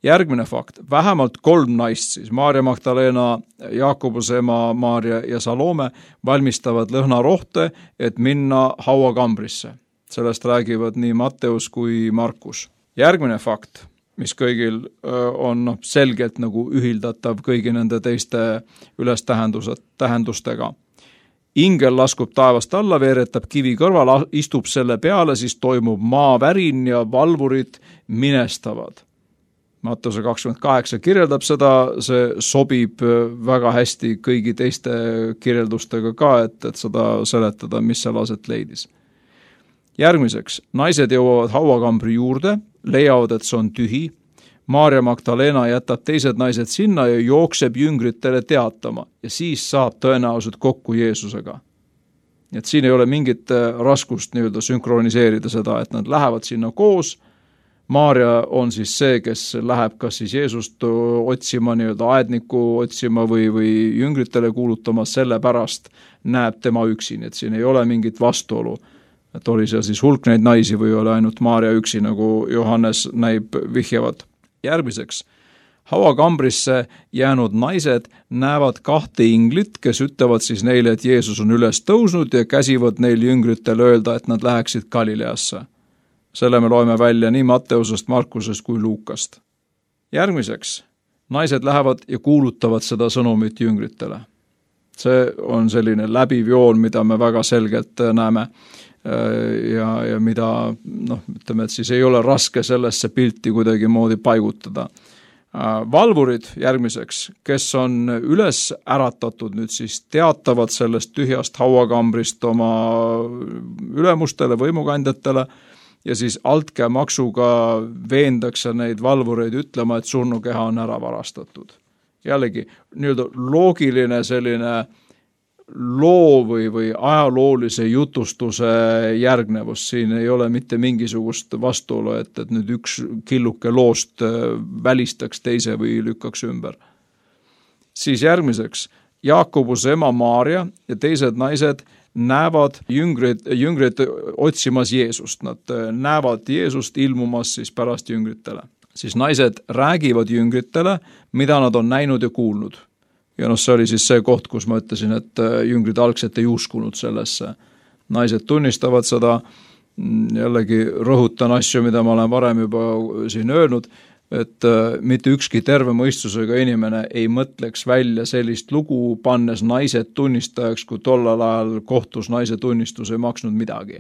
Järgmine fakt, vähemalt 3 naist, siis Maarja Magdalena, Jaakobuse ema Maarja ja Salome valmistavad lõhnarohte, et minna hauakambrisse. Sellest räägivad nii Matteus kui Markus. Järgmine fakt, mis kõigil on selgelt nagu ühildatav kõigi nende teiste ülestähendustega. Ingel laskub taevast alla, veeretab kivi kõrval, istub selle peale, siis toimub maavärin ja valvurid minestavad. Matteuse 28 kirjeldab seda, see sobib väga hästi kõigi teiste kirjeldustega ka, et seda seletada, mis seal aset leidis. Järgmiseks, naised jõuavad hauakambri juurde, leiavad, et see on tühi. Maarja Magdalena jätab teised naised sinna ja jookseb jüngritele teatama ja siis saab tõenäoliselt kokku Jeesusega. Et siin ei ole mingit raskust nii-öelda sünkroniseerida seda, et nad lähevad sinna koos. Maarja on siis see, kes läheb kas siis Jeesust otsima, nii-öelda aedniku otsima või jüngritele kuulutama, sellepärast näeb tema üksi, et siin ei ole mingit vastuolu. Et oli seal siis hulk neid naisi või oli ainult Maarja üksi, nagu Johannes näib vihjavad. Järgmiseks, hauakambrisse jäänud naised näevad 2 inglit, kes ütlevad siis neile, et Jeesus on üles tõusnud ja käsivad neil jüngritel öelda, et nad läheksid Galileasse. Selle me loeme välja nii Matteusest, Markusest kui Luukast. Järgmiseks, naised lähevad ja kuulutavad seda sõnumit jüngritele. See on selline läbiv joon, mida me väga selgelt näeme ja mida, ütleme, et siis ei ole raske sellesse pilti kuidagi moodi paigutada. Valvurid järgmiseks, kes on üles äratatud nüüd siis teatavad sellest tühjast hauakambrist oma ülemustele, võimukandjatele ja siis altkäemaksuga veendakse neid valvureid ütlema, et surnukeha on ära varastatud. Jällegi, nii-öelda loogiline selline loo või ajaloolise jutustuse järgnevus, siin ei ole mitte mingisugust vastuolu, et nüüd üks killuke loost välistaks teise või lükkaks ümber. Siis järgmiseks, Jaakobuse ema Maarja ja teised naised näevad jüngrid otsimas Jeesust. Nad näevad Jeesust ilmumas siis pärast jüngritele. Siis naised räägivad jüngritele, mida nad on näinud ja kuulnud. Ja see oli siis see koht, kus ma ütlesin, et jüngrid algselt ei uskunud sellesse. Naised tunnistavad seda, jällegi rõhutan asju, mida ma olen varem juba siin öelnud, et mitte ükski terve mõistusega inimene ei mõtleks välja sellist lugu, pannes naised tunnistajaks, kui tollal ajal kohtus naise tunnistus ei maksnud midagi.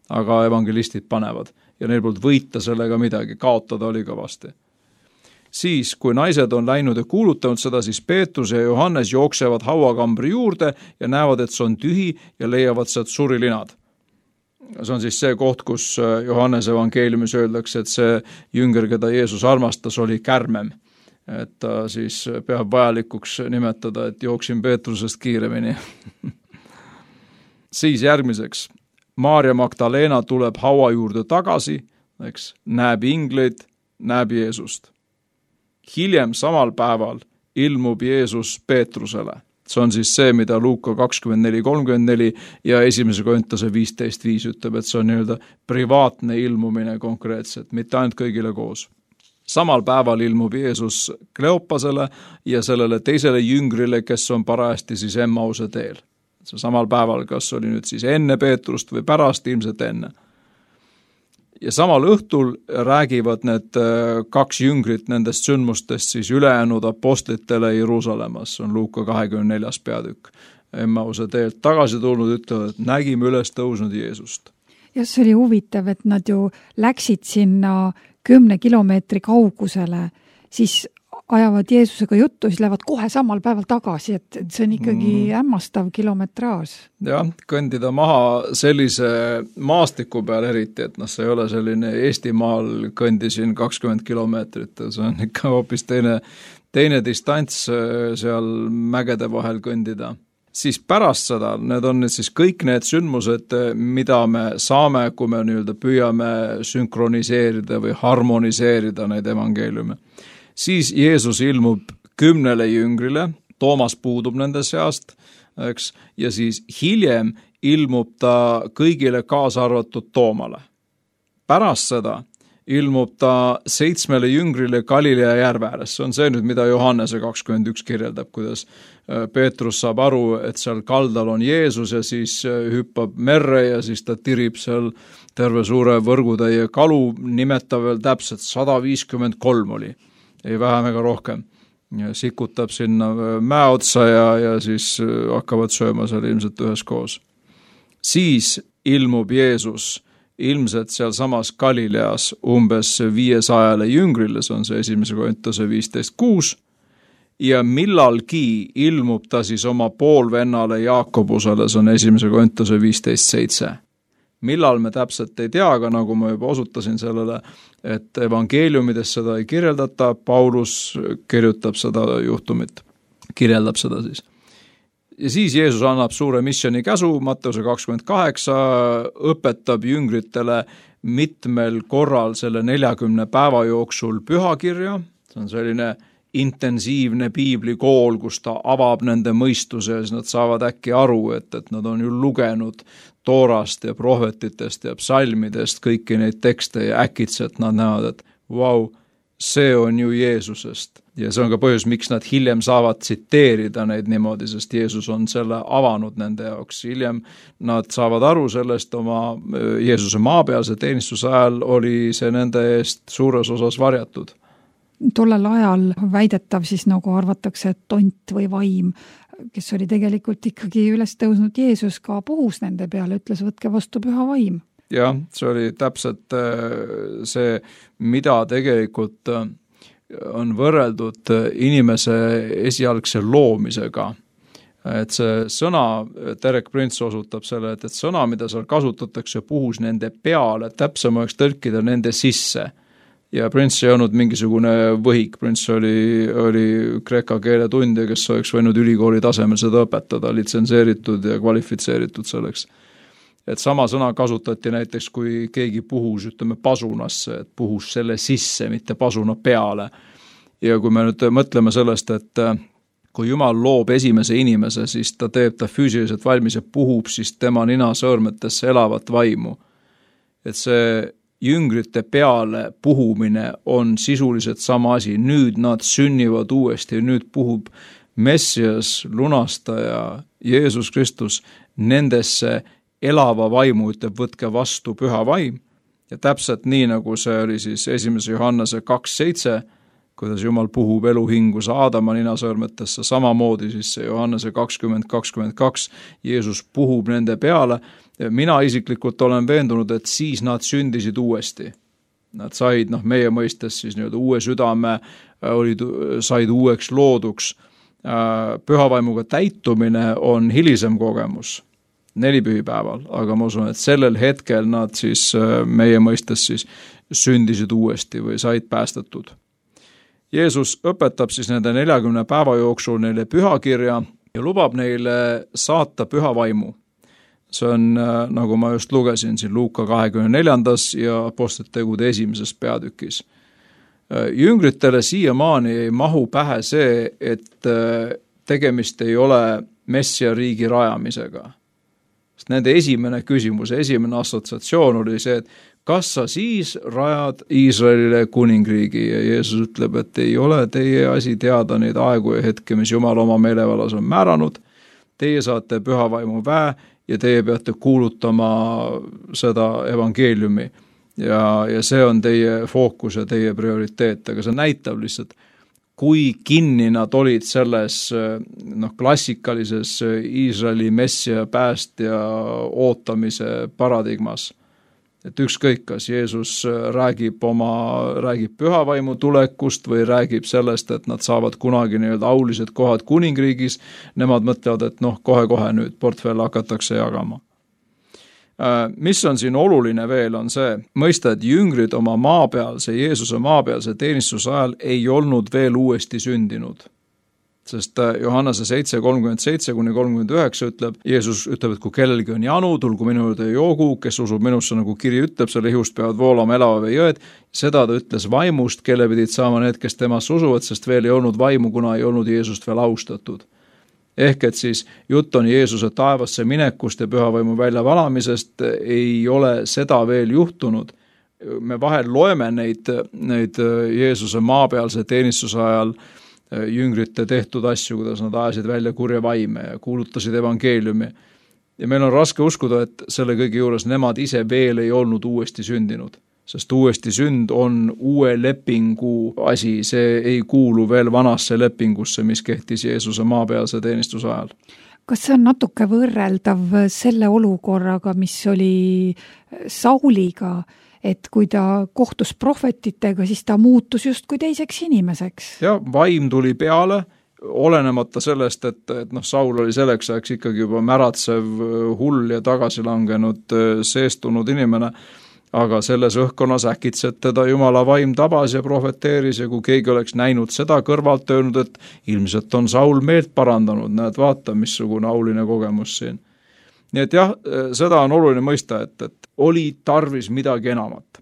Aga evangelistid panevad ja neil poolt võita sellega midagi, kaotada oli kõvasti. Siis, kui naised on läinud ja kuulutanud seda, siis Peetrus ja Johannes jooksevad hauakambri juurde ja näevad, et see on tühi ja leiavad sealt surilinad. See on siis see koht, kus Johannes evangeeliumis öeldakse, et see jünger, keda Jeesus armastas, oli kärmem. Et ta siis peab vajalikuks nimetada, et jooksin Peetrusest kiiremini. Siis järgmiseks, Maarja Magdalena tuleb haua juurde tagasi, näeb ingleid, näeb Jeesust. Hiljem samal päeval ilmub Jeesus Peetrusele. See on siis see, mida Luuka 24:34 ja 1. Korintuse 15:5 ütleb, et see on nii-öelda privaatne ilmumine konkreetselt, mitte ainult kõigile koos. Samal päeval ilmub Jeesus Kleopasele ja sellele teisele jüngrile, kes on parajasti siis Emmause teel. See samal päeval, kas oli nüüd siis enne Peetrust või pärast, ilmselt enne. Ja samal õhtul räägivad need kaks jüngrit nendest sündmustest siis ülejäänud apostlitele Jeruusalemmas, see on Luuka 24. peatükk. Emmause teelt tagasi tulnud ütlevad, et nägime üles tõusnud Jeesust. Ja see oli huvitav, et nad ju läksid sinna 10 kilomeetri kaugusele, siis ajavad Jeesusega juttu, siis lähevad kohe samal päeval tagasi, et see on ikkagi hämmastav kilometraaž. Jah, kõndida maha sellise maastiku peal eriti, et see ei ole selline Eestimaal kõndisin 20 kilomeetrit, see on ikka hoopis teine distants seal mägede vahel kõndida. Siis pärast seda, need on nüüd siis kõik need sündmused, mida me saame, kui me nii-öelda püüame sünkroniseerida või harmoniseerida neid evangeeliume. Siis Jeesus ilmub 10 jüngrile, Toomas puudub nende seast, eks, ja siis hiljem ilmub ta kõigile kaasa arvatud Toomale. Pärast seda ilmub ta 7 jüngrile Galilea järve ääres. See on see nüüd, mida Johannese 21 kirjeldab, kuidas Peetrus saab aru, et seal kaldal on Jeesus ja siis hüppab merre ja siis ta tirib seal terve suure võrgutäie kalu, nimetav veel täpselt 153 oli. Ei vähem ega rohkem. Ja sikutab sinna mäe otsa ja siis hakkavad sööma seal ilmselt üheskoos. Siis ilmub Jeesus ilmselt seal samas Galileas umbes 500 jüngrile, see on see 1. Korintuse 15:6, ja millalgi ilmub ta siis oma poolvennale Jaakobusele, see on 1. Korintuse 15:7. Millal me täpselt ei tea, aga nagu ma juba osutasin sellele, et evangeeliumides seda ei kirjeldata, Paulus kirjutab seda juhtumit, kirjeldab seda siis. Ja siis Jeesus annab suure missiooni käsu, Matteuse 28, õpetab jüngritele mitmel korral selle 40 päeva jooksul pühakirja, see on selline intensiivne piiblikool, kus ta avab nende mõistuse ja siis nad saavad äkki aru, et nad on ju lugenud Toorast ja prohvetitest ja psalmidest kõiki neid tekste ja äkitselt nad näevad, et vau, see on ju Jeesusest. Ja see on ka põhjus, miks nad hiljem saavad tsiteerida neid niimoodi, sest Jeesus on selle avanud nende jaoks. Hiljem nad saavad aru sellest oma Jeesuse maapealse teenistuse ajal oli see nende eest suures osas varjatud. Tollel ajal väidetav siis nagu arvatakse, et tont või vaim, kes oli tegelikult ikkagi üles tõusnud Jeesus, ka puhus nende peale, ütles, võtke vastu püha vaim. Jah, see oli täpselt see, mida tegelikult on võrreldud inimese esialgse loomisega. Et see sõna, Derek Prince osutab selle, et sõna, mida seal kasutatakse, puhus nende peale, täpsem oleks tõlkida nende sisse. Ja Prince ei olnud mingisugune võhik, Prince oli kreeka keele tundja, kes oleks võinud ülikooli tasemel seda õpetada, litsenseeritud ja kvalifitseeritud selleks. Et sama sõna kasutati näiteks, kui keegi puhus, ütleme, pasunasse, et puhus selle sisse, mitte pasuna peale. Ja kui me nüüd mõtleme sellest, et kui Jumal loob esimese inimese, siis ta teeb ta füüsiliselt valmis ja puhub siis tema nina sõõrmetesse elavat vaimu. Et see jüngrite peale puhumine on sisuliselt sama asi. Nüüd nad sünnivad uuesti, nüüd puhub Messias, lunastaja, Jeesus Kristus nendesse elava vaimu, ütleb, võtke vastu püha vaim. Ja täpselt nii, nagu see oli siis 1. Johannese 2.7, kuidas Jumal puhub eluhingus Aadama ninasõõrmetesse, samamoodi siis see Johannese 20.22, Jeesus puhub nende peale. Mina isiklikult olen veendunud, et siis nad sündisid uuesti. Nad said, meie mõistes siis uue südame, said uueks looduks. Pühavaimuga täitumine on hilisem kogemus, 4 pühipäeval, aga ma usun, et sellel hetkel nad siis meie mõistes siis sündisid uuesti või said päästetud. Jeesus õpetab siis nende 40 päeva jooksul neile pühakirja ja lubab neile saata püha vaimu. See on, nagu ma just lugesin siin Luuka 24. ja Apostlite tegude 1. peatükis. Jüngritele siiamaani ei mahu pähe see, et tegemist ei ole Messia riigi rajamisega. Sest nende esimene küsimus, esimene assotsiatsioon oli see, et kas sa siis rajad Iisraelile kuningriigi ja Jeesus ütleb, et ei ole teie asi teada neid aegu ja hetke, mis Jumal oma meelevallas on määranud. Teie saate pühavaimu väe ja teie peate kuulutama seda evangeeliumi ja see on teie fookus ja teie prioriteet, aga see näitab lihtsalt, kui kinni nad olid selles klassikalises Iisraeli messia päästja ootamise paradigmas. Et ükskõik, kas Jeesus räägib pühavaimu tulekust või räägib sellest, et nad saavad kunagi aulised kohad kuningriigis, nemad mõtlevad, et kohe-kohe nüüd portfell hakatakse jagama. Mis on siin oluline veel, on see mõista, et jüngrid oma maapealse, Jeesuse maapealse teenistuse ajal ei olnud veel uuesti sündinud. Sest Johannese 7.37-39 ütleb, Jeesus ütleb, et kui kellelgi on janu, tulgu minu juurde joogu, kes usub minusse, nagu kiri ütleb, selle ihust peavad voolama elava vee jõed. Seda ta ütles vaimust, kelle pidid saama need, kes temasse usuvad, sest veel ei olnud vaimu, kuna ei olnud Jeesust veel austatud. Ehk et siis jutt on Jeesuse taevasse minekust ja pühavaimu väljavalamisest, ei ole seda veel juhtunud. Me vahel loeme neid Jeesuse maapealse teenistuse ajal jüngrite tehtud asju, kuidas nad ajasid välja kurja vaime ja kuulutasid evangeeliumi. Ja meil on raske uskuda, et selle kõige juures nemad ise veel ei olnud uuesti sündinud, sest uuesti sünd on uue lepingu asi, see ei kuulu veel vanasse lepingusse, mis kehtis Jeesuse maapealse teenistuse ajal. Kas see on natuke võrreldav selle olukorraga, mis oli Sauliga, et kui ta kohtus prohvetitega, siis ta muutus justkui teiseks inimeseks? Ja vaim tuli peale, olenemata sellest, et Saul oli selleks ajaks ikkagi juba märatsev, hull ja tagasilangenud, seestunud inimene, aga selles õhkkonnas äkitselt teda Jumala vaim tabas ja prohveteeris ja kui keegi oleks näinud seda kõrvalt öelnud, et ilmselt on Saul meelt parandanud, näed, vaata, missugune auline kogemus siin. Nii et jah, seda on oluline mõista, et oli tarvis midagi enamat.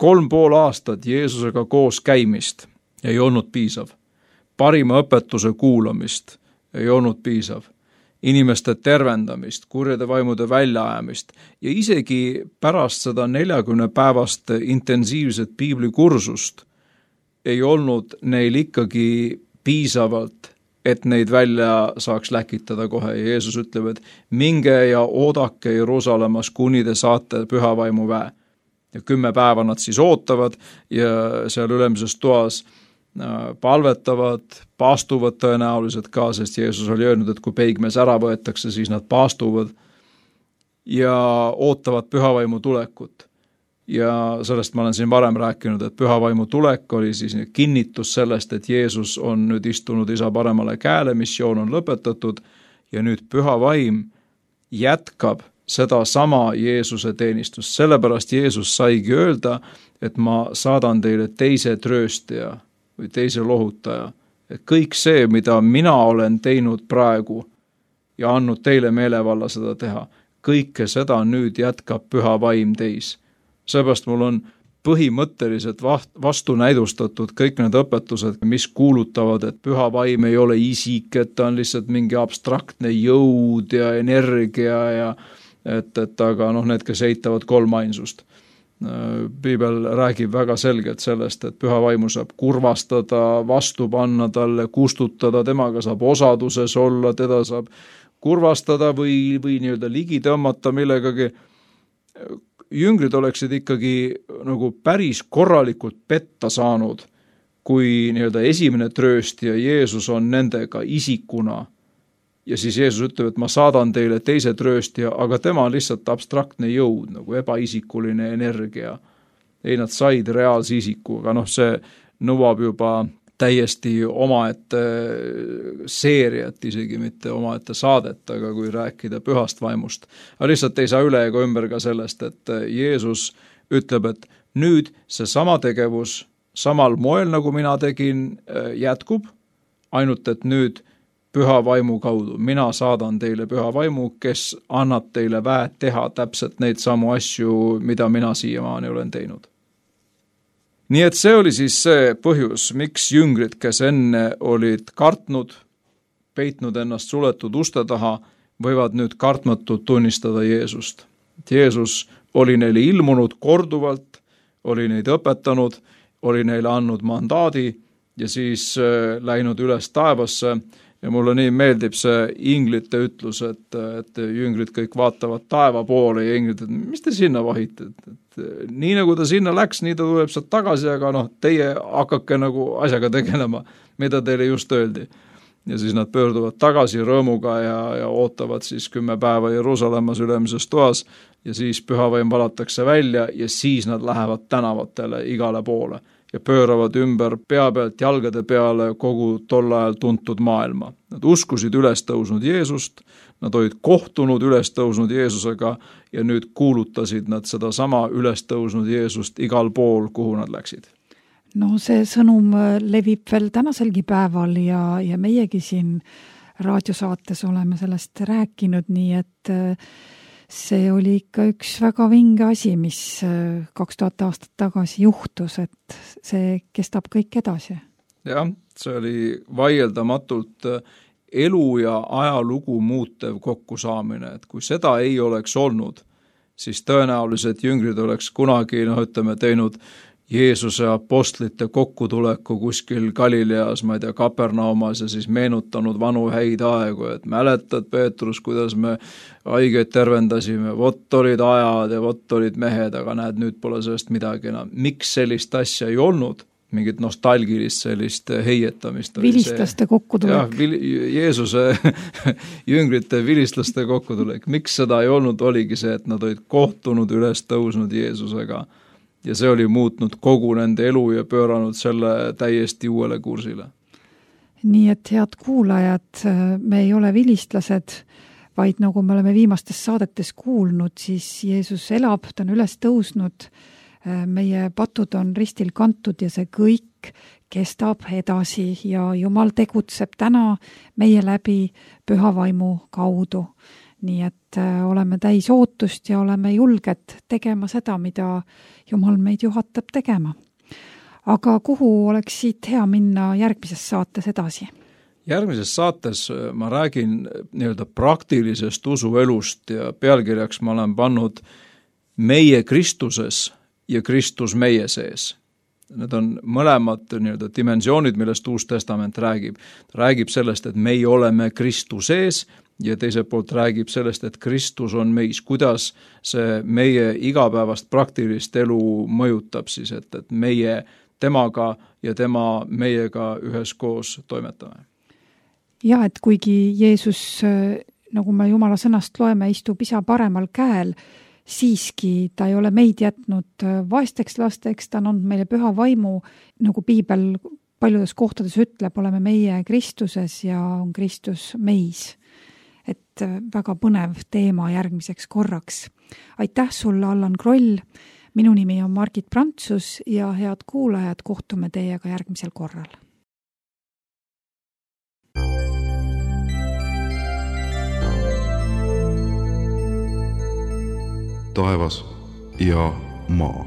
3,5 aastat Jeesusega koos käimist ei olnud piisav. Parima õpetuse kuulamist ei olnud piisav. Inimeste tervendamist, kurjade vaimude väljaajamist ja isegi pärast seda 40 päevast intensiivset piiblikursust ei olnud neil ikkagi piisavalt, et neid välja saaks läkitada kohe. Ja Jeesus ütleb, et minge ja oodake Jeruusalemmas, kuni te saate pühavaimu väe. Ja 10 päeva nad siis ootavad ja seal ülemises toas palvetavad, paastuvad tõenäoliselt ka, sest Jeesus oli öelnud, et kui peigmees ära võetakse, siis nad paastuvad ja ootavad pühavaimu tulekut. ja sellest ma olen siin varem rääkinud, et püha vaimu tulek oli siis kinnitus sellest, et Jeesus on nüüd istunud isa paremale käele, missioon on lõpetatud ja nüüd püha vaim jätkab seda sama Jeesuse teenistust. Sellepärast Jeesus saigi öelda, et ma saadan teile teise trööstaja või teise lohutaja. Et kõik see, mida mina olen teinud praegu ja andnud teile meelevalla seda teha, kõike seda nüüd jätkab püha vaim teis. Seepärast mul on põhimõtteliselt vastunäidustatud kõik need õpetused, mis kuulutavad, et püha vaim ei ole isik, et ta on lihtsalt mingi abstraktne jõud ja energia ja aga need, kes eitavad kolmainsust. Piibel räägib väga selgelt sellest, et püha vaimu saab kurvastada, vastu panna talle, kustutada, temaga saab osaduses olla, teda saab kurvastada või nii-öelda ligi tõmmata millegagi. Jüngrid oleksid ikkagi nagu päris korralikult petta saanud, kui nii-öelda esimene trööstija Jeesus on nendega isikuna. Ja siis Jeesus ütleb, et ma saadan teile teise trööstija, aga tema on lihtsalt abstraktne jõud, nagu ebaisikuline energia. Ei, nad said reaalse isiku, aga see nõuab juba täiesti omaette seeriat, isegi mitte omaette saadet, aga kui rääkida pühast vaimust. Aga lihtsalt ei saa üle ega ümber ka sellest, et Jeesus ütleb, et nüüd see sama tegevus samal moel, nagu mina tegin, jätkub, ainult et nüüd püha vaimu kaudu. Mina saadan teile püha vaimu, kes annab teile väed teha täpselt neid samu asju, mida mina siiamaani olen teinud. Nii et see oli siis see põhjus, miks jüngrid, kes enne olid kartnud, peitnud ennast suletud uste taha, võivad nüüd kartmatult tunnistada Jeesust. Jeesus oli neile ilmunud korduvalt, oli neid õpetanud, oli neile andnud mandaadi ja siis läinud üles taevasse. Ja mulle nii meeldib see inglite ütlus, et jüngrid kõik vaatavad taeva poole ja inglid, et mis te sinna vahite? Nii nagu ta sinna läks, nii ta tuleb sealt tagasi, aga teie hakake nagu asjaga tegelema, mida teile just öeldi. Ja siis nad pöörduvad tagasi rõõmuga ja ootavad siis 10 päeva Jeruusalemmas ülemises toas ja siis pühavaim valatakse välja ja siis nad lähevad tänavatele igale poole ja pööravad ümber pea pealt jalgade peale kogu tol ajal tuntud maailma. Nad uskusid üles tõusnud Jeesust, nad olid kohtunud üles tõusnud Jeesusega ja nüüd kuulutasid nad seda sama üles tõusnud Jeesust igal pool, kuhu nad läksid. No see sõnum levib veel tänaselgi päeval ja meiegi siin raadiosaates oleme sellest rääkinud, nii et see oli ikka üks väga vinge asi, mis 2000 aastat tagasi juhtus, et see kestab kõik edasi. Jah, see oli vaieldamatult elu ja ajalugu muutev kokkusaamine, et kui seda ei oleks olnud, siis tõenäoliselt jüngrid oleks kunagi, teinud Jeesuse apostlite kokkutuleku kuskil Galileas, ma ei tea, Kapernaumas ja siis meenutanud vanu häid aegu, et mäletad, Peetrus, kuidas me haigeid tervendasime, vot olid ajad ja vot olid mehed, aga näed, nüüd pole sellest midagi enam. Miks sellist asja ei olnud? Mingit nostalgilist sellist heietamist. Vilistlaste kokkutulek. Jah, Jeesuse jüngrite vilistlaste kokkutulek. Miks seda ei olnud, oligi see, et nad olid kohtunud üles tõusnud Jeesusega. Ja see oli muutnud kogu nende elu ja pööranud selle täiesti uuele kursile. Nii et head kuulajad, me ei ole vilistlased, vaid nagu me oleme viimastes saadetes kuulnud, siis Jeesus elab, ta on üles tõusnud, meie patud on ristil kantud ja see kõik kestab edasi ja Jumal tegutseb täna meie läbi püha vaimu kaudu. Nii et oleme täis ootust ja oleme julged tegema seda, mida Jumal meid juhatab tegema. Aga kuhu oleks siit hea minna järgmises saates edasi? Järgmises saates ma räägin nii-öelda praktilisest usuelust ja pealkirjaks ma olen pannud meie Kristuses ja Kristus meie sees. Need on mõlemad nii-öelda dimensioonid, millest Uus Testament räägib. Ta räägib sellest, et meie oleme Kristu sees ja teiselt poolt räägib sellest, et Kristus on meis, kuidas see meie igapäevast praktilist elu mõjutab siis, et meie temaga ja tema meiega üheskoos toimetame. Ja, et kuigi Jeesus, nagu me Jumala sõnast loeme, istub isa paremal käel, siiski ta ei ole meid jätnud vaesteks lasteks, ta on andnud meile püha vaimu, nagu piibel paljudes kohtades ütleb, oleme meie Kristuses ja on Kristus meis. Et väga põnev teema järgmiseks korraks. Aitäh sulle, Allan Kroll, minu nimi on Margit Prantsus ja head kuulajad, kohtume teiega järgmisel korral. Taevas ja maa.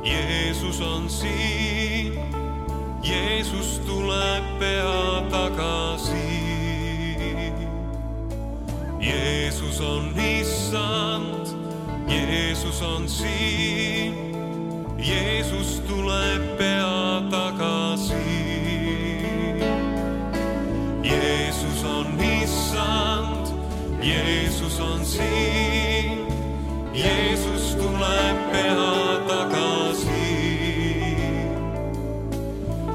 Jeesus on siin, Jeesus tuleb pea tagasi. Jeesus on issand, Jeesus on siin, Jeesus tuleb pea tagasi. Jeesus on issand, Jeesus on siin, Jeesus tuleb pea tagasi.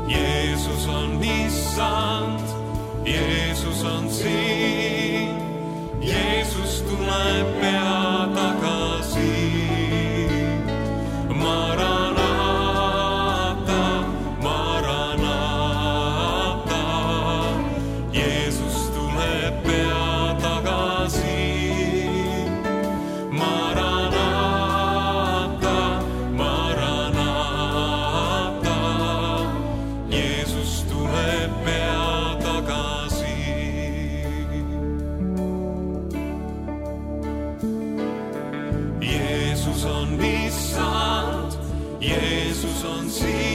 Jeesus on issand, Jeesus on siin, Jeesus tuleb pea tagasi. Maranata, Maranata, Jeesus tuleb pea tagasi. Maranata, Maranata, Jeesus tuleb pea tagasi. Jeesus on issand, Jeesus on siin.